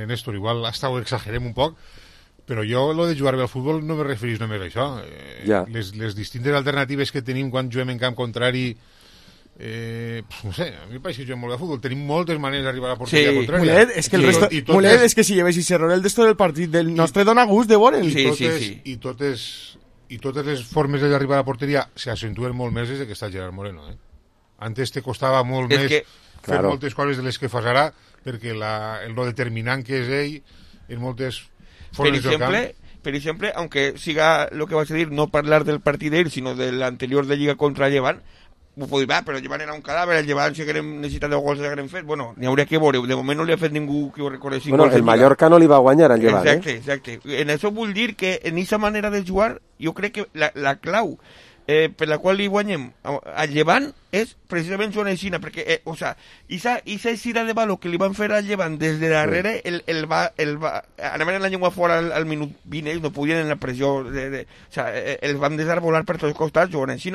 Speaker 10: Néstor, igual hasta ho exagerem un poc, però jo, lo de jugar bé al futbol, no me referís només a això. Eh,
Speaker 1: ja.
Speaker 10: les, les distintes alternatives que tenim quan juguem en camp contrari, eh, no sé, a mi em pareix que juguem molt bé al futbol. Tenim moltes maneres d'arribar a la porteria
Speaker 11: sí.
Speaker 10: contrària.
Speaker 2: Mulet, és que el
Speaker 10: sí.
Speaker 2: resto...
Speaker 10: I
Speaker 2: Mulet,
Speaker 10: és...
Speaker 2: és que si llevessis error el d'esto del partit del nostre dona gust de veure'l.
Speaker 10: I,
Speaker 11: sí,
Speaker 10: totes,
Speaker 11: sí, sí.
Speaker 10: i, totes, I totes les formes d'arribar a la porteria s'accentuen molt més des que està Gerard Moreno. Eh? Antes te costava molt
Speaker 11: és
Speaker 10: més
Speaker 11: que...
Speaker 10: fer
Speaker 1: claro.
Speaker 10: moltes coses de les que fas ara, perquè la, el lo determinant que és ell en moltes formes
Speaker 11: per exemple,
Speaker 10: del camp...
Speaker 11: Per exemple, aunque siga lo que vas a decir, no hablar del partido de él, sino del anterior de Lliga contra el Llevant, pues va, però el Llevant era un cadàver, el Llevant si haguem necessitat de gols haguem fet, bueno, n'hi hauria que veure, de moment no li ha fet ningú que ho recorressi.
Speaker 1: Bueno, el Mallorca no li va guanyar al Llevant,
Speaker 11: exacte,
Speaker 1: eh?
Speaker 11: Exacte, en això vull dir que en aquesta manera de jugar, jo crec que la, la clau eh, per la qual li guanyem al Llevant és precisament jugant així, perquè, eh, o sea, esa, esa eixida de valor que li van fer al Llevant des de darrere, sí. el, el va, el va, anaven en la llengua fora al, al minut vint, ells no podien en la pressió, de, de, o sea, eh, els van desarbolar per tots els costats jugant així,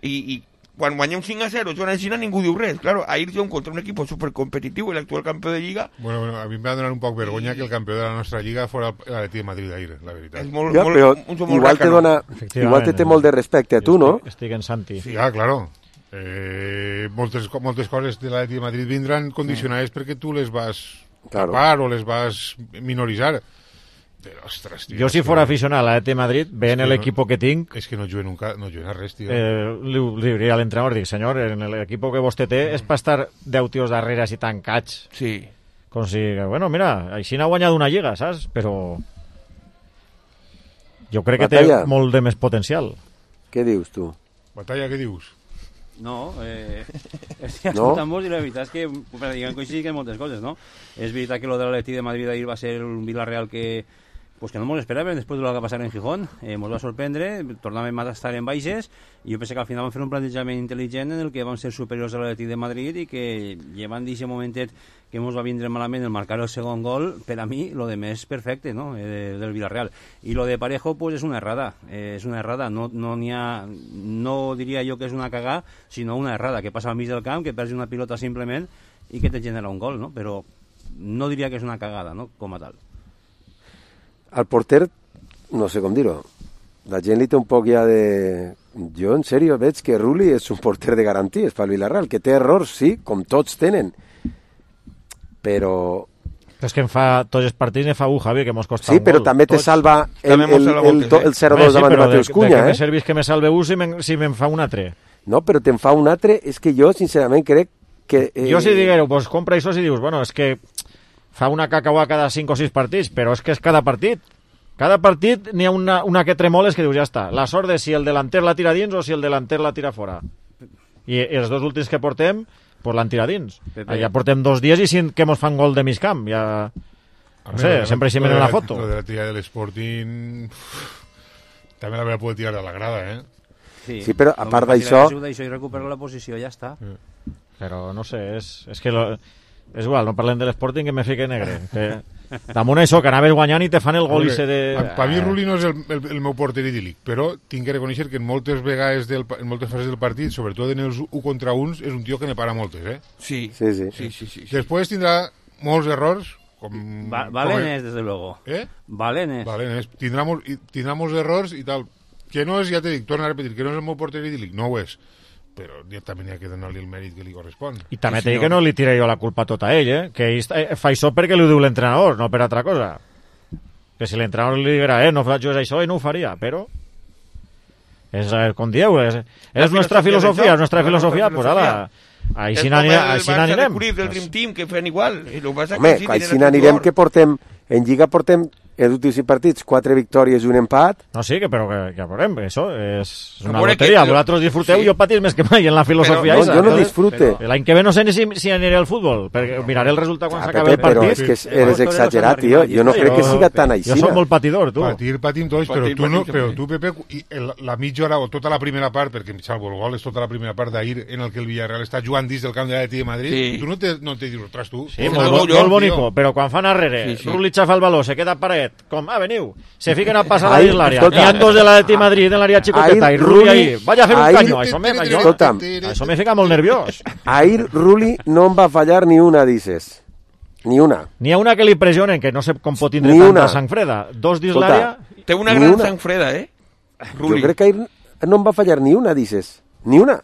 Speaker 11: i, i quan guanyem cinc a zero, jugant a Xina, ningú diu res. Claro, ahir jugem contra un equip supercompetitiu, l'actual campió de Lliga.
Speaker 10: Bueno, bueno, a mi em va donar un poc vergonya que el campió de la nostra Lliga fora l'Atleti de Madrid ahir, la veritat.
Speaker 11: És molt,
Speaker 1: ja,
Speaker 11: molt,
Speaker 1: però
Speaker 11: un, un
Speaker 1: igual, te dona, igual te té molt de respecte a tu, no?
Speaker 3: Estic en Santi.
Speaker 10: Sí, ah, claro. Eh, moltes, moltes coses de l'Atleti de Madrid vindran condicionades mm. perquè tu les vas
Speaker 1: claro.
Speaker 10: tapar o les vas minoritzar. Però, ostres, tio,
Speaker 3: jo si fora aficionat a l'Atleti de Madrid, veient l'equip que tinc...
Speaker 10: És que no juguen, nunca, no juguen a res, tio.
Speaker 3: Eh, li, li diria a l'entrenador, dic, senyor, en l'equip que vostè té és per estar deu tios darrere així tancats.
Speaker 11: Sí.
Speaker 3: Com si, bueno, mira, així n'ha guanyat una lliga, saps? Però jo crec que
Speaker 1: Batalla.
Speaker 3: té molt de més potencial.
Speaker 1: Què dius, tu?
Speaker 10: Batalla, què dius?
Speaker 12: No, eh, estic escoltant-vos i la veritat és que pràcticament coincidim en moltes coses, no? És veritat que lo de l'Atleti de Madrid ahir va ser un Villarreal que pues que no ens esperàvem després de lo que va passar en Gijón, eh, ens va sorprendre, tornàvem a estar en baixes i jo pensé que al final vam fer un plantejament intel·ligent en el que vam ser superiors a l'Atleti de Madrid i que llevant d'aquest momentet que ens va vindre malament el marcar el segon gol, per a mi lo de més perfecte, no? eh, del Villarreal. I lo de Parejo pues és una errada, eh, és una errada, no, no, n'hi ha, no diria jo que és una cagada, sinó una errada que passa al mig del camp, que perds una pilota simplement i que te genera un gol, no? Però no diria que és una cagada, no? Com a tal.
Speaker 1: Al porter, no sé com dir-ho, la gent li té un poc ja de... Jo, en sèrio, veig que Rulli és un porter de garanties pel Villarreal, que té errors, sí, com tots tenen, però...
Speaker 3: És que em fa tots els partits ne fa un, Javi, que mos costa
Speaker 1: sí,
Speaker 3: un gol.
Speaker 1: Sí, però també te
Speaker 3: tots.
Speaker 1: salva el, el, el, el, el zero dos davant de Mateus Cunha,
Speaker 3: eh? De
Speaker 1: que
Speaker 3: me servís que me salve un si me'n si me fa un altre.
Speaker 1: No, però te'n fa un altre, és que jo, sincerament, crec que... Eh...
Speaker 3: Jo si digueu, pues compra això si dius, bueno, és que fa una cacaua cada cinc o sis partits, però és que és cada partit. Cada partit n'hi ha una, una que tremoles que dius, ja està. La sort de si el delanter la tira dins o si el delanter la tira fora. I, i els dos últims que portem, pues l'han tirat dins. Pepe. Ja portem dos dies i sin que mos fan gol de mig camp. Ja... No sé,
Speaker 10: la,
Speaker 3: sempre hi la foto.
Speaker 10: Lo de la tira de l'Sporting... També la va poder tirar a la grada, eh?
Speaker 12: Sí,
Speaker 1: sí però a part d'això...
Speaker 12: I recupera la posició, ja està.
Speaker 3: Mm. Però no sé, és, és que... Lo... És igual, no parlem de l'Sporting que me fique negre. Que... Damunt això, que anaves guanyant i te fan el gol i se de...
Speaker 10: Per mi Rulli no és el, el, el meu porter idíl·lic, però tinc que reconèixer que en moltes vegades, del, en moltes fases del partit, sobretot en els u contra uns, és un tio que ne para moltes, eh?
Speaker 11: Sí,
Speaker 1: sí, sí.
Speaker 11: sí, sí, sí, sí.
Speaker 10: Després tindrà molts errors, com...
Speaker 12: Va, Valenes, des de luego.
Speaker 10: Eh?
Speaker 12: Valenes.
Speaker 10: Valenes. Tindrà, mol, tindrà molts errors i tal. Que no és, ja t'he dit, torna a repetir, que no és el meu porter idíl·lic, no ho és. Però també n'hi ha que donar-li el mèrit que li correspon.
Speaker 3: I també sí, t'he dit que no li tiré jo la culpa tota a ell, eh? Que ell fa això perquè li ho diu l'entrenador, no per altra cosa. Que si l'entrenador li diguera, eh, no faig això, ell no ho faria, però... És, com dieu, és, és nostra filosofia, és nostra filosofia, pues ala... Així n'anirem.
Speaker 11: El Barça de Cruyff del Dream Team, que fan igual.
Speaker 1: Home, així n'anirem que portem... En Lliga portem els últims partits, quatre victòries i un empat.
Speaker 3: No, sí, que, però que, que veurem, això és una loteria. Vosaltres disfruteu, sí. Jo patís més que mai en la filosofia.
Speaker 1: Però, no, jo no disfrute.
Speaker 3: L'any que ve no sé ni si, si aniré al futbol, perquè miraré el resultat quan
Speaker 1: ah,
Speaker 3: s'acabi el partit.
Speaker 1: Però és que és, eres exagerat, tio. Jo no crec que siga tan així.
Speaker 3: Jo soc molt patidor, tu.
Speaker 10: Patir, patim tots, però tu, no, però tu, Pepe, la mitja hora o tota la primera part, perquè salvo el gol és tota la primera part d'ahir en el que el Villarreal està jugant dins del camp de l'Atleti de Madrid, tu no te, no te dius, ostres, tu.
Speaker 3: Sí, molt bonico, però quan fan arrere, Rulli xafa el baló, se queda paret, com, ah, veniu, se fiquen a passar a dins l'àrea, n'hi ha dos de l'Atleti Madrid en l'àrea xicoteta, i Rulli ahí, vaya a fer un caño, això me, això, això me fica molt nerviós.
Speaker 1: Ahir Rulli no em va fallar ni una, dices. Ni una.
Speaker 3: N'hi ha una que li pressionen, que no sé com pot tindre tanta sang freda. Dos dins l'àrea...
Speaker 11: Té una gran sang freda, eh?
Speaker 1: Rulli. Jo crec que ahir no em va fallar ni una, dices. Ni una.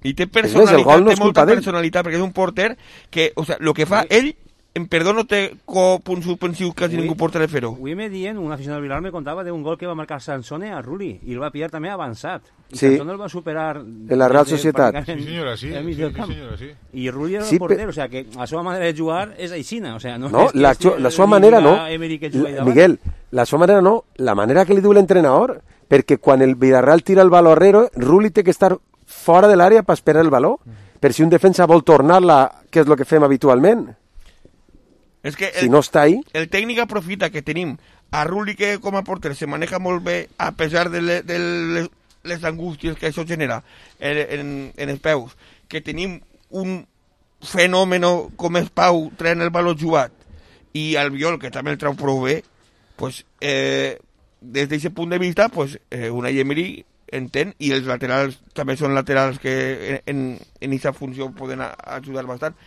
Speaker 11: I té personalitat, no té molta personalitat, perquè és un porter que, o sea, lo que fa ell, en perdó no té punts suspensius quasi ningú porta de fer-ho.
Speaker 12: Avui me dient, un aficionat del Villarreal me contava d'un gol que va marcar Sansone a Rulli i el va pillar també avançat. I
Speaker 1: sí.
Speaker 12: Sansone el va superar...
Speaker 1: En la Real Societat.
Speaker 10: Sí, senyora, sí. sí, sí senyora, sí.
Speaker 12: I Rulli era sí, el porter, o sea que la seva manera de jugar és aixina. O sea, no,
Speaker 1: no
Speaker 12: és
Speaker 1: la, la, la seva manera no. La, Miguel, la seva manera no. La manera que li diu l'entrenador, perquè quan el Villarreal tira el baló arrere, Rulli té que estar fora de l'àrea per esperar el baló. Per si un defensa vol tornar-la, que és el que fem habitualment.
Speaker 11: És que el,
Speaker 1: si no està ahí...
Speaker 11: el tècnic aprofita que tenim a Rulli, que com a porter se maneja molt bé a pesar de, le, de les, les angústies que això genera en, en, en els peus, que tenim un fenomen com és Pau traient el baló jugat i Albiol, que també el trau prou bé, pues, eh, des d'aquest punt de vista, pues, eh, Unai Emery entén, i els laterals també són laterals que en aquesta funció poden a, ajudar bastant.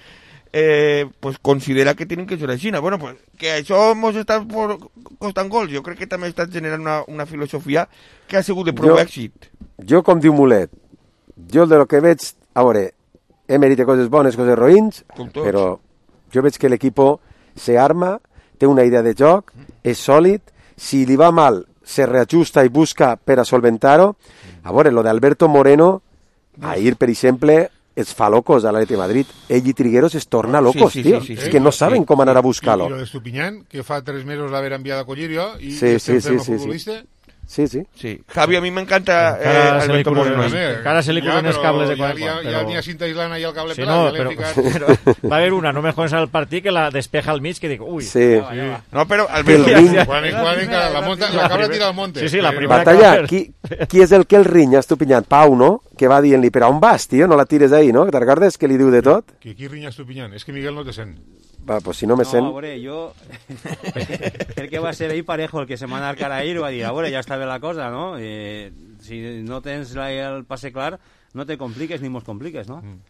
Speaker 11: Eh, pues considera que tienen que jugar a Xina. Bueno, pues que això mos està por, costant gols. Jo crec que també està generant una, una filosofia que ha sigut de prou èxit.
Speaker 1: Jo, com diu Mulet, jo de lo que veig, a veure, Emery té coses bones, coses roïns, però jo veig que l'equip se arma, té una idea de joc, és sòlid, si li va mal, se reajusta i busca per a solventar-ho. A veure, lo d'Alberto Moreno, ahir, per exemple, es fa locos a l'Atleti de Madrid. Ell i Trigueros es torna locos, sí, sí, tío. Sí, sí, sí. És que no saben com anar a buscar-lo.
Speaker 10: I lo de Estupiñán, que fa tres mesos l'haver enviat a collir jo, i
Speaker 1: sí, sí, sí, sí,
Speaker 10: futbolista...
Speaker 1: Sí, sí.
Speaker 11: Sí. Javi, a mi m'encanta eh, Alberto Moreno.
Speaker 3: Encara se li cruzen els cables de quan
Speaker 10: ja, ja, ja n'hi ha cinta islana i el cable
Speaker 3: sí,
Speaker 10: pelat.
Speaker 3: No,
Speaker 10: ja
Speaker 3: però,
Speaker 10: ficat...
Speaker 3: però va haver una, no me jodes al partit, que la despeja al mig, que dic, ui.
Speaker 1: Sí.
Speaker 3: Va, va, va.
Speaker 11: No, però Alberto...
Speaker 1: El ring...
Speaker 10: Quan, quan, la, la, monta, la cabra tira al monte.
Speaker 3: Sí, sí, la primera
Speaker 1: Batalla, qui, qui és el que el rinya, Estupiñán? Pau, no? Que va dient-li, però on vas, tio? No la tires ahí, no? Te'n recordes que li diu de tot?
Speaker 10: Que qui rinya Estupiñán? És que Miguel no te sent.
Speaker 1: Va, pues si no me
Speaker 12: no,
Speaker 1: sent...
Speaker 12: No, a veure, jo... el que va ser ahir Parejo, el que se m'ha anat cara ahir, va dir, a veure, ja està bé la cosa, no? Eh, si no tens la, el passe clar, no te compliques ni mos compliques, no? Mm.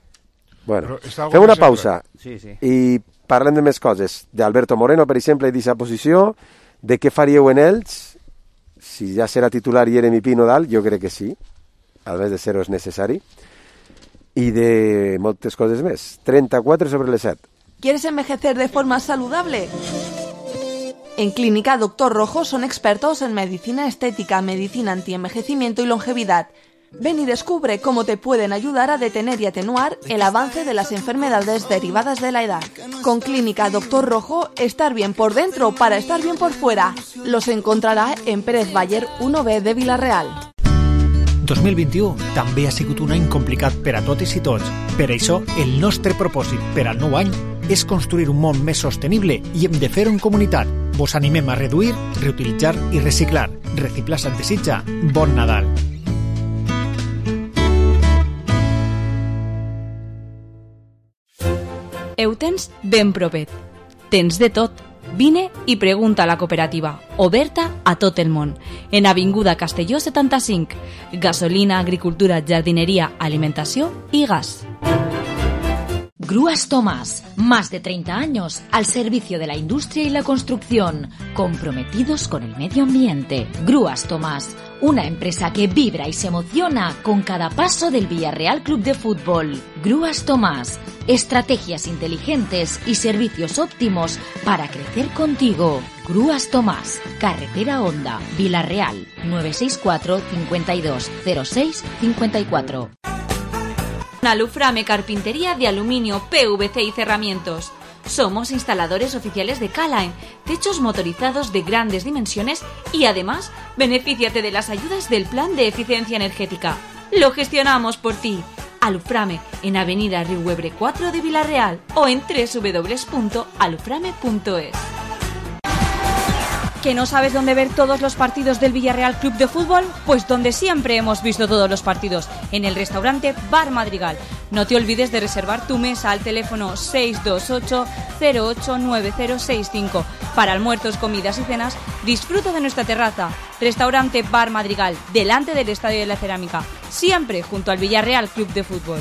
Speaker 1: Bueno, fem una pausa
Speaker 12: sí, sí.
Speaker 1: i parlem de més coses. D'Alberto Moreno, per exemple, d'aquesta posició, de què faríeu en ells, si ja serà titular Jeremy Pino dalt, jo crec que sí, al més de ser-ho és necessari, i de moltes coses més. trenta-quatre sobre les set.
Speaker 4: ¿Quieres envejecer de forma saludable? En Clínica Doctor Rojo son expertos en medicina estética, medicina antienvejecimiento y longevidad. Ven y descubre cómo te pueden ayudar a detener y atenuar el avance de las enfermedades derivadas de la edad. Con Clínica Doctor Rojo, estar bien por dentro para estar bien por fuera. Los encontrará en Pérez Bayer uno B de Vila-real.
Speaker 13: dos mil vint-i-u també ha sigut un any complicat per a totes i tots. Per això, el nostre propòsit per al nou any és construir un món més sostenible i hem de fer-ho en comunitat. Vos animem a reduir, reutilitzar i reciclar. Reciclar Sant Desitja. Bon Nadal.
Speaker 9: Ho tens ben propet. Tens de tot. Vine i pregunta a la cooperativa, oberta a tot el món, en Avinguda Castelló setanta-cinc. Gasolina, agricultura, jardineria, alimentació i gas.
Speaker 5: Grúas Tomás, más de treinta años al servicio de la industria y la construcción, comprometidos con el medio ambiente. Grúas Tomás, una empresa que vibra y se emociona con cada paso del Villarreal Club de Fútbol. Grúas Tomás, estrategias inteligentes y servicios óptimos para crecer contigo. Grúas Tomás, Carretera Honda, Vila-real, nueve seis cuatro, cincuenta y dos, cero seis, cincuenta y cuatro.
Speaker 9: Aluframe Carpintería de Aluminio, P V C y Cerramientos. Somos instaladores oficiales de K-Line, techos motorizados de grandes dimensiones y además benefíciate de las ayudas del Plan de Eficiencia Energética. Lo gestionamos por ti. Aluframe en Avenida Riuebre cuatro de Vila-real o en doble u doble u doble u punto aluframe punto es. ¿Que no sabes dónde ver todos los partidos del Villarreal Club de Fútbol? Pues donde siempre hemos visto todos los partidos, en el restaurante Bar Madrigal. No te olvides de reservar tu mesa al teléfono seis dos ocho, cero ocho nueve cero seis cinco. Para almuerzos, comidas y cenas, disfruta de nuestra terraza. Restaurante Bar Madrigal, delante del Estadio de la Cerámica, siempre junto al Villarreal Club de Fútbol.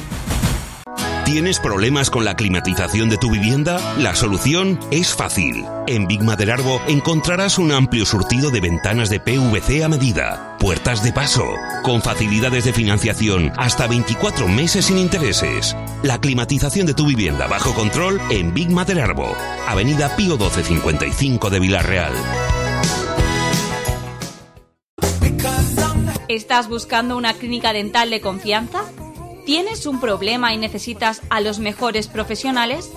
Speaker 14: ¿Tienes problemas con la climatización de tu vivienda? La solución es fácil. En Big Maderarbo encontrarás un amplio surtido de ventanas de P V C a medida, puertas de paso, con facilidades de financiación hasta veinticuatro meses sin intereses. La climatización de tu vivienda bajo control en Big Maderarbo, Avenida Pío doce cincuenta y cinco de Vila-real.
Speaker 9: ¿Estás buscando una clínica dental de confianza? ¿Tienes un problema y necesitas a los mejores profesionales?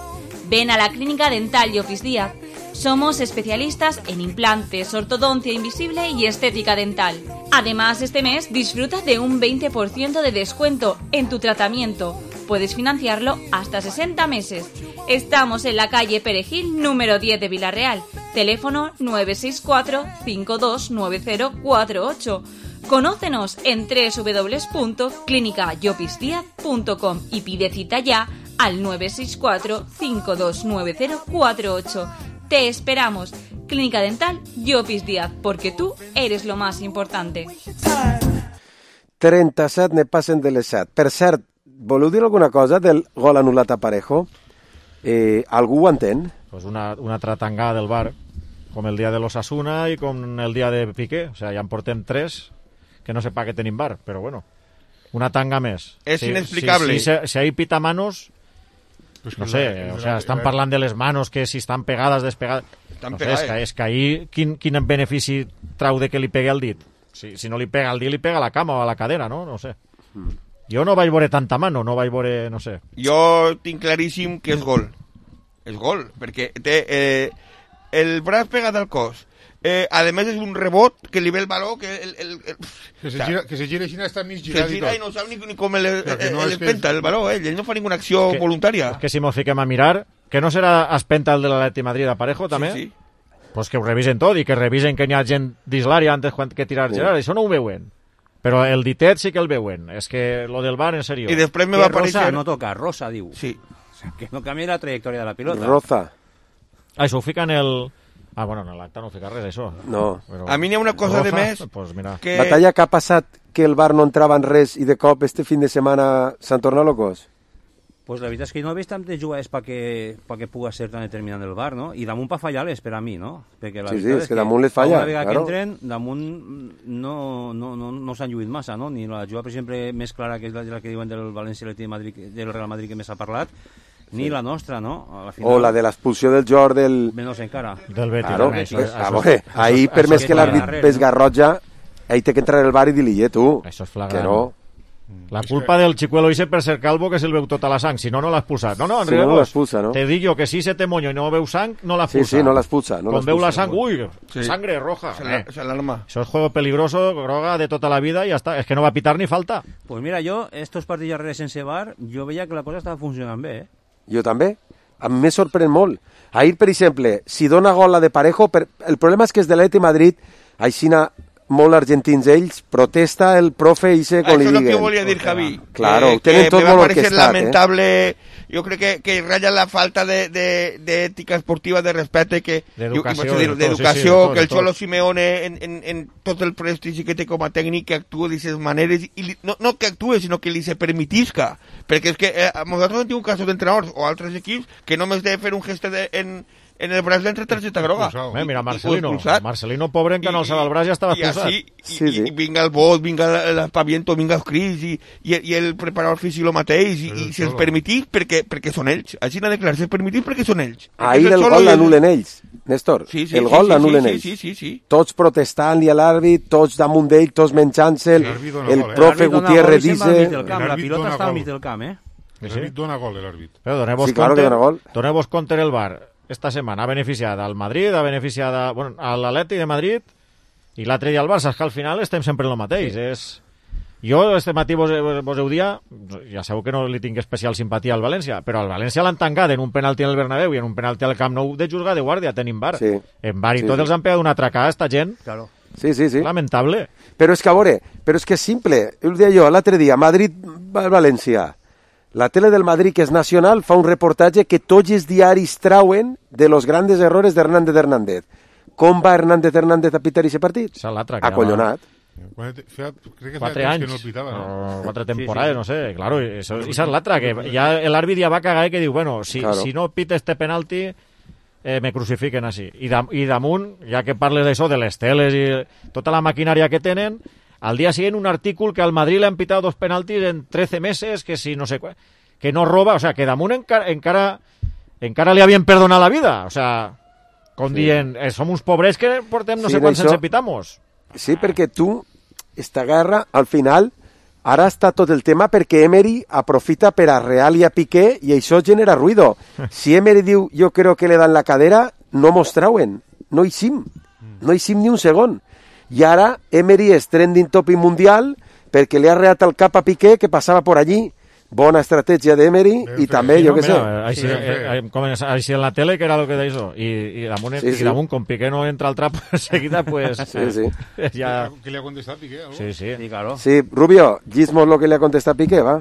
Speaker 9: Ven a la Clínica Dental Llopis Díaz. Somos especialistas en implantes, ortodoncia invisible y estética dental. Además, este mes disfruta de un veinte por ciento de descuento en tu tratamiento. Puedes financiarlo hasta sesenta meses. Estamos en la calle Perejil, número diez de Vila-real. Teléfono nueve seis cuatro, cinco dos nueve cero cuatro ocho. Conócenos en doble u doble u doble u punto clínica llopis díaz punto com y pide cita ya al nueve seis cuatro, cinco dos nueve cero cuatro ocho. Te esperamos. Clínica Dental Llopis Díaz, porque tú eres lo más importante.
Speaker 1: trenta-set ne passen de les set. Per cert, voleu dir alguna cosa del gol anul·lat a Parejo? Eh, algú ho entén?
Speaker 3: Pues una, una altra tangada del V A R, com el dia de l'Osasuna i com el dia de Piqué. O sea, ja en portem tres que no sé pa què tenim V A R, però bueno, una tanga més.
Speaker 11: És
Speaker 3: si,
Speaker 11: inexplicable.
Speaker 3: Si, si, si hay pitamanos, pues no sé, la, o sea, la, estan la, parlant de les manos, que si estan pegades, despegades... No sé, és, que, és que ahir quin, quin benefici trau de que li pegue al dit? Si, si no li pega al dit, li pega a la cama o a la cadera, no? No sé. Jo no vaig veure tanta mano, no vaig veure, no sé.
Speaker 11: Jo tinc claríssim que és gol. És gol, perquè té eh, el braç pegat al cos. Eh, a més és un rebot que li ve el baló que, el, el, el,
Speaker 10: que, se gira, que se gira i està mig girat
Speaker 11: se gira i, i no sap ni, ni com el, el, el, no el penta el baló, ell, ell no fa ninguna acció
Speaker 3: que,
Speaker 11: voluntària.
Speaker 3: És que si mos fiquem a mirar, que no serà espenta el de l'Atleti Madrid a Parejo també?
Speaker 11: Sí, sí.
Speaker 3: Pues que ho revisen tot i que revisen que n'hi ha gent dins l'àrea antes que tirar sí. Gerard, això no ho veuen. Però el ditet sí que el veuen. És que lo del V A R, en serio.
Speaker 11: I després me va aparèixer...
Speaker 12: Rosa no toca, Rosa, diu.
Speaker 11: Sí.
Speaker 12: O sea, que no canvia la trajectòria de la pilota.
Speaker 1: Roza.
Speaker 3: Ah, això ho fica en el... Ah, bueno, en l'acte no fica res, això.
Speaker 1: No.
Speaker 3: Però...
Speaker 11: A mi n'hi ha una cosa
Speaker 3: Roza,
Speaker 11: de més...
Speaker 3: Pues mira.
Speaker 1: Que... Batalla que ha passat que el V A R no entrava en res i de cop este fin de setmana s'han tornat locos?
Speaker 12: Pues la veritat és que no he vist tantes jugades perquè pa que puga ser tan determinant el V A R, no? I damunt pa fallar-les per a mi, no? Perquè la
Speaker 1: sí, sí, és, és que damunt les falla,
Speaker 12: una vegada
Speaker 1: claro.
Speaker 12: que entren, damunt no, no, no, no s'han lluït massa, no? Ni la jugada, per exemple, més clara, que és la, la que diuen del València de Madrid, del Real Madrid que més ha parlat, ni sí. La nostra, no? A la final...
Speaker 1: O la de l'expulsió del Jord del...
Speaker 12: Menos encara.
Speaker 3: Del Betis.
Speaker 1: Claro,
Speaker 3: Betis.
Speaker 1: Pues, a veure, ahir per més que l'àrbit ves garrotja, ahir té que entrar el V A R i dir-li, eh, tu,
Speaker 3: això és flagrant.
Speaker 1: que no...
Speaker 3: La culpa del chicuelo ese per ser calvo que se'l veu tota la sang, si no, no l'ha expulsat. No, no,
Speaker 1: si no, no l'expulsa, no?
Speaker 3: Te dic jo que si se te moño i no veu sang, no l'ha expulsat.
Speaker 1: Sí, sí, no l'expulsa. No
Speaker 3: Quan veu la sang, ui, sí. Sangre roja.
Speaker 11: Eh. S'alarma.
Speaker 3: Això és juego peligroso, groga de tota la vida i ja està. És que no va pitar ni falta.
Speaker 12: Pues mira, jo, estos partits darrers sense V A R, jo veia que la cosa estava funcionant bé, eh?
Speaker 1: Jo també. A mi me sorprèn molt. Ahir, per exemple, si dona gol la de Parejo, per... el problema és que és de l'Atleti Madrid, aixina molt argentins ells, protesta el profe i sé com li diguen.
Speaker 11: Això és el que volia dir, Javi.
Speaker 1: Claro,
Speaker 11: que,
Speaker 1: tenen tot molt orquestat.
Speaker 11: Lamentable, eh? Jo crec que, que ratlla la falta d'ètica esportiva, de respecte, que
Speaker 3: d'educació,
Speaker 11: d'educació,
Speaker 3: sí, sí,
Speaker 11: que el Cholo Simeone, en, en, en tot el prestigi que té com a tècnic, que actua d'aquestes maneres, i li, no, no que actue, sinó que li se permitisca. Perquè és que eh, nosaltres hem tingut casos d'entrenadors o altres equips que només de fer un gest de, en en el braç d'entre targeta groga.
Speaker 3: Eh, mira, Marcelino, Marcelino, pobre, en que no alçava el braç ja estava expulsat.
Speaker 11: I, i, sí, sí. I vinga el vot, vinga l'espaviento, vinga els crits, i, i, i el preparador físic el mateix, i, i se'ls permitís perquè, perquè són ells. Així n'ha declarat, se'ls permitís perquè són ells.
Speaker 1: Ahir el gol l'anul·len ells, Néstor.
Speaker 11: Sí, sí,
Speaker 1: el gol
Speaker 11: sí,
Speaker 1: l'anul·len
Speaker 11: sí,
Speaker 1: ells.
Speaker 11: sí, sí, sí.
Speaker 1: Tots protestant-li a l'àrbit, tots damunt d'ell, tots menjant-se'l. El profe Gutiérrez dice...
Speaker 12: La pilota està al mig del camp, eh?
Speaker 10: L'àrbit dona gol, l'àrbit.
Speaker 3: Però doneu-vos
Speaker 1: sí, claro
Speaker 3: compte, doneu-vos compte el V A R. Esta setmana ha beneficiat al Madrid, ha beneficiat a, bueno, a l'Atleti de Madrid i l'altre dia al Barça, que al final estem sempre en el mateix. Sí. És... Jo este matí vos, vos heu dia, ja sabeu que no li tinc especial simpatia al València, però al València l'han tancat en un penalti en el Bernabéu i en un penalti al Camp Nou de juzgar de guàrdia, tenim V A R. Sí. En V A R i sí, tots sí. Els han pegat una atracada a esta gent.
Speaker 12: Claro.
Speaker 1: Sí, sí, sí.
Speaker 3: Lamentable.
Speaker 1: Però és que, a veure, però és que és simple. Ho deia jo l'altre dia, Madrid-València. La tele del Madrid, que és nacional, fa un reportatge que tots els diaris trauen de los grandes errores de Hernández Hernández. Com va Hernández Hernández a pitar aquest partit? Acollonat.
Speaker 3: Quatre anys, que no pitava, no? quatre temporades, sí, sí. No sé, claro, eso, esa es l'altra, que ja l'àrbit ja va cagar i que diu, bueno, si, claro. si no pita este penalti, eh, me crucifiquen així. I, dam, i damunt, ja que parles d'això, de les teles i tota la maquinària que tenen, al día siguiente un artículo que al Madrid le han pitado dos penaltis en trece meses, que si no sé que no roba, o sea, que damunt encara, encara, encara li havien perdonat la vida, o sea, com sí. Dient, eh, som uns pobres que portem no sí, sé quants sense pitamos.
Speaker 1: Sí, perquè tu, esta guerra, al final, ara està tot el tema perquè Emery aprofita per a Real i a Piqué i això genera ruido. Si Emery diu, jo creo que le dan la cadera, no mos trauen, no hi sim, no hi sim ni un segon. I ara Emery és trending topic mundial perquè li ha reat el cap a Piqué que passava por allí. Bona estratègia d'Emery i també,
Speaker 3: sí,
Speaker 1: jo
Speaker 3: no,
Speaker 1: què sé.
Speaker 3: Així, sí, eh, com en, així en la tele, que era el que d'això. I, i damunt, sí, sí. I damunt, com Piqué no entra al trap seguida, pues...
Speaker 1: Sí, sí.
Speaker 10: Ja... ¿Qué le ha contestat Piqué? ¿Algo?
Speaker 3: Sí, sí.
Speaker 12: Sí, claro.
Speaker 1: Sí, Rubio, gizmos lo que le ha contestat Piqué, va.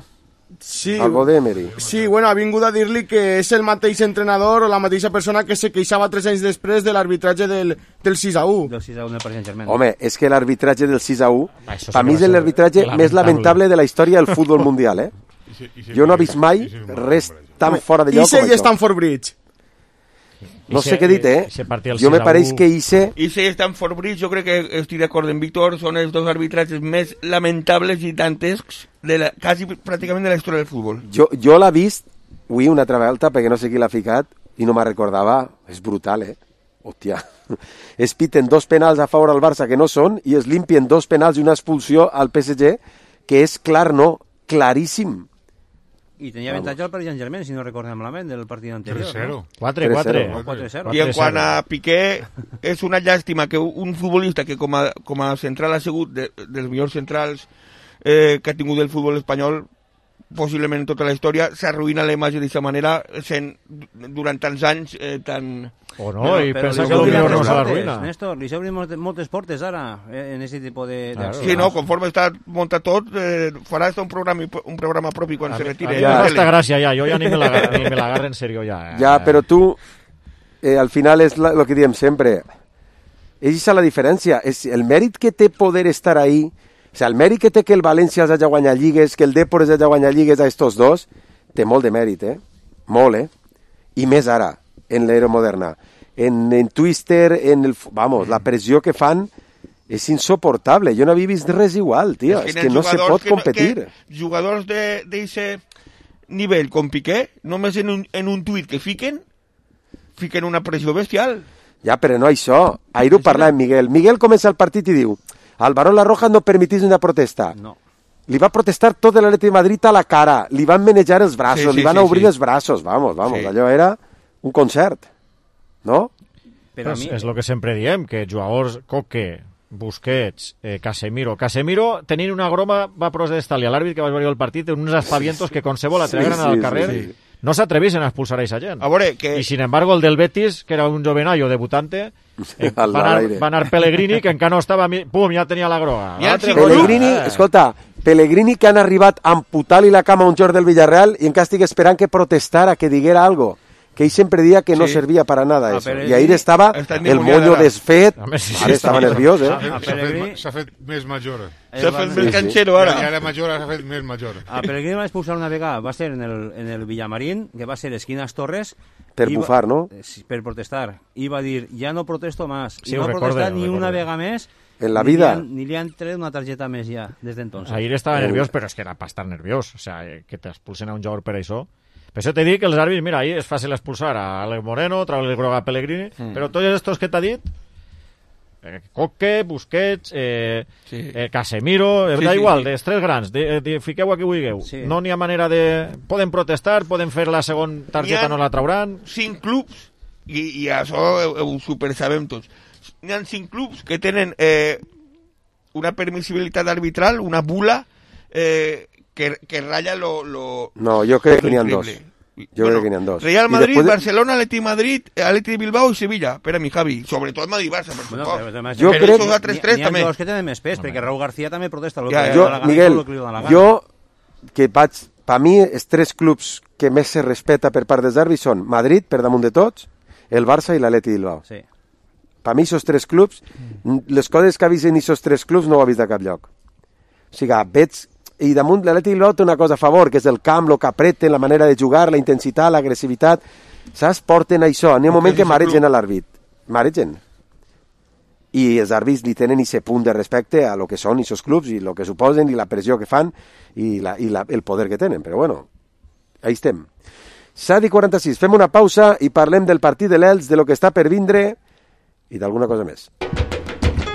Speaker 2: Sí,
Speaker 1: algo d'Emery.
Speaker 2: Sí, bueno, ha vingut a dir-li que és el mateix entrenador o la mateixa persona que se queixava tres anys després de l'arbitratge del, del sis a u.
Speaker 12: Del sis a u del Paris Saint-Germain.
Speaker 1: Home, és que l'arbitratge del sis a u,
Speaker 3: Ah, això sí
Speaker 1: per
Speaker 3: que
Speaker 1: mi
Speaker 3: va
Speaker 1: és
Speaker 3: ser
Speaker 1: l'arbitratge
Speaker 3: lamentable.
Speaker 1: més lamentable de la història del futbol mundial, eh? Jo no he vist mai res tan fora de lloc
Speaker 2: Ise
Speaker 1: com
Speaker 2: i
Speaker 1: això.
Speaker 2: Stanford Bridge.
Speaker 1: No sé què he dit, eh? Jo me pareix que Ise...
Speaker 11: Ise i Stanford Bridge, jo crec que estic d'acord amb Víctor, són els dos arbitratges més lamentables i dantescs de la, quasi pràcticament de la història del futbol.
Speaker 1: Jo, jo l'he vist, avui una altra volta, perquè no sé qui l'ha ficat, i no me'n recordava. És brutal, eh? Hòstia. Es piten dos penals a favor al Barça que no són i es limpien dos penals i una expulsió al P S G, que és clar, no, claríssim.
Speaker 12: I tenia avantatge al Paris Saint-Germain, si no recordem malament, del partit anterior.
Speaker 10: tres cero.
Speaker 12: No?
Speaker 3: quatre quatre.
Speaker 12: quatre cero.
Speaker 11: I en quant a Piqué, és una llàstima que un futbolista que com a, com a central ha sigut de, dels millors centrals eh, que ha tingut el futbol espanyol, possiblement en tota la història, s'arruïna la imatge d'aquesta manera sent durant tants anys eh, tan...
Speaker 3: O no, i pensa que potser no se l'arruïna.
Speaker 12: Néstor, li s'obrin moltes, moltes portes ara eh, en aquest tipus de... de
Speaker 11: Sí, no, conforme està muntat tot, eh, farà un programa, un programa propi quan
Speaker 3: a
Speaker 11: se
Speaker 3: mi,
Speaker 11: retire.
Speaker 3: a mi ja, m'ha gràcia, ja, jo ja ni me l'agarro la, la en serio, ja. Eh.
Speaker 1: Ja, però tu, eh, al final és el que diem sempre, és la diferència, és el mèrit que té poder estar ahí, o sigui, el mèrit que té que el València hagi guanyat lligues, que el Depor hagi guanyat lligues a estos dos, té molt de mèrit, eh? Molt, eh? I més ara, en l'era moderna. En, en Twister, en el... Vamos, la pressió que fan és insoportable. Jo no havia vist res igual, tio. És que, és que no se pot que, competir.
Speaker 11: Que jugadors d'aquest nivell com Piqué, només en un, en un tuit que fiquen, fiquen una pressió bestial.
Speaker 1: Ja, però no això. Ahir ho parla amb Miguel. Miguel comença el partit i diu Álvaro La Roja no permitís una protesta.
Speaker 12: No.
Speaker 1: Li va protestar tot l'Atlètic de Madrid a la cara. Li van manejar els braços,
Speaker 11: sí, sí,
Speaker 1: li van
Speaker 11: sí,
Speaker 1: obrir
Speaker 11: sí.
Speaker 1: els braços. Vamos, vamos,
Speaker 11: Sí.
Speaker 1: allò era un concert. No?
Speaker 12: Però a mi...
Speaker 3: És el que sempre diem, que jugadors Coque, Busquets, eh, Casemiro... Casemiro, tenint una groma, va protestar-li a l'àrbit que va veure el partit en uns aspavientos que qualsevol altre
Speaker 1: Sí,
Speaker 3: gran
Speaker 1: sí,
Speaker 3: al
Speaker 1: sí,
Speaker 3: carrer
Speaker 1: sí.
Speaker 3: no s'atrevisen a expulsar a aquesta gent.
Speaker 11: A veure, que...
Speaker 3: I, sin embargo, el del Betis, que era un jovenallo debutante, eh, va,
Speaker 1: Al
Speaker 3: anar,
Speaker 1: aire.
Speaker 3: va anar Pellegrini, que encara no estava... Pum, ja tenia la groga.
Speaker 11: Ja
Speaker 3: L'altre
Speaker 11: sí,
Speaker 3: gol,
Speaker 1: Pellegrini,
Speaker 3: eh.
Speaker 1: escolta, Pellegrini que han arribat a amputar-li la cama a un jugador del Villarreal i encara estic esperant que protestara, que diguera algo. Que ell sempre dia que no
Speaker 11: Sí.
Speaker 1: servia para nada
Speaker 12: A
Speaker 1: eso.
Speaker 12: Pellegrini
Speaker 1: I ahir estava
Speaker 11: està
Speaker 1: el
Speaker 11: endimoniada
Speaker 1: moño
Speaker 11: ara.
Speaker 1: desfet,
Speaker 3: Home, sí, sí,
Speaker 1: ara estava
Speaker 3: està-
Speaker 1: nerviós, eh?
Speaker 12: A
Speaker 10: S'ha fet,
Speaker 12: Pellegrini-
Speaker 10: s'ha fet més major.
Speaker 11: S'ha fet més
Speaker 1: sí.
Speaker 11: canxero
Speaker 10: Ja,
Speaker 11: ara.
Speaker 10: ja era major, ara s'ha fet més major.
Speaker 12: A Pellegrini va expulsar una vegada, va ser en el, en el Villamarín, que va ser esquinas Torres.
Speaker 1: Per
Speaker 12: i va-
Speaker 1: bufar, no?
Speaker 12: eh, sí, per protestar. I va dir, ja no protesto más.
Speaker 3: Sí,
Speaker 12: I
Speaker 3: ho
Speaker 12: no ha
Speaker 3: recorde,
Speaker 12: protestat
Speaker 3: ho
Speaker 12: ni
Speaker 3: recorde.
Speaker 12: una vegada més.
Speaker 1: En la
Speaker 12: ni
Speaker 1: vida.
Speaker 12: Li han, ni li han tret una targeta més ja, des d'entonces.
Speaker 3: Ahir estava nerviós, però és que era per estar nerviós. O sea, eh, que t'expulsen a un jugador per això. Per això t'he dit que els àrbits, mira, ahir és fàcil expulsar a Alex Moreno, treure el groga a Pellegrini, mm. però tots estos que t'ha dit, eh, Coque, Busquets, eh,
Speaker 11: Sí.
Speaker 3: eh, Casemiro,
Speaker 11: Sí,
Speaker 3: da
Speaker 11: sí,
Speaker 3: igual,
Speaker 11: sí.
Speaker 3: dels tres grans, de, de, fiqueu a qui vulgueu.
Speaker 12: Sí.
Speaker 3: No n'hi ha manera de... Poden protestar, poden fer la segona targeta,
Speaker 11: N'hi ha-
Speaker 3: no la trauran.
Speaker 11: Cinc clubs, i, i això ho, ho super sabem tots, n'hi ha cinc clubs que tenen eh, una permissibilitat arbitral, una bula eh, que, que ratlla lo, lo...
Speaker 1: No, jo crec que n'hi ha
Speaker 11: lo
Speaker 1: dos.
Speaker 11: increïble.
Speaker 1: Jo crec que n'hi ha dos.
Speaker 11: Real
Speaker 1: I
Speaker 11: Madrid,
Speaker 1: després de-
Speaker 11: Barcelona, Atleti Madrid, Atleti Bilbao i Sevilla. Per a mi, Javi. Sobretot Madrid-Barça, per
Speaker 12: Bueno,
Speaker 11: supost.
Speaker 12: però, además,
Speaker 1: Jo
Speaker 11: Però
Speaker 1: crec-
Speaker 11: esos altres tres
Speaker 12: N'hi ha
Speaker 11: també.
Speaker 12: dos que tenen més pes, perquè Raúl García també protesta. Lo
Speaker 11: Ja,
Speaker 12: que
Speaker 11: ja.
Speaker 12: li
Speaker 1: Jo,
Speaker 12: dona la gana i
Speaker 1: Miguel,
Speaker 12: tot lo que li dona la gana.
Speaker 1: jo, que vaig... Per mi, els tres clubs que més se respeta per part dels àrbits són Madrid, per damunt de tots, el Barça i l'Atleti Bilbao.
Speaker 12: Sí.
Speaker 1: Per mi, aquests tres clubs, les coses que ha vist en aquests tres clubs no ho ha vist de cap lloc. O sigui, veig... I damunt l'Atleti Bilbao té una cosa a favor, que és el camp, el que apreten, la manera de jugar, la intensitat, l'agressivitat. Saps? Porten això. N'hi ha un moment que maregen a l'àrbit. Maregen. I els àrbits li tenen aquest punt de respecte a lo que són aquests clubs i el que suposen i la pressió que fan i, la, i la, el poder que tenen. Però bueno, ahí estem. set i quaranta-sis. Fem una pausa i parlem del partit de l'Elx, de lo que està per vindre i d'alguna cosa més.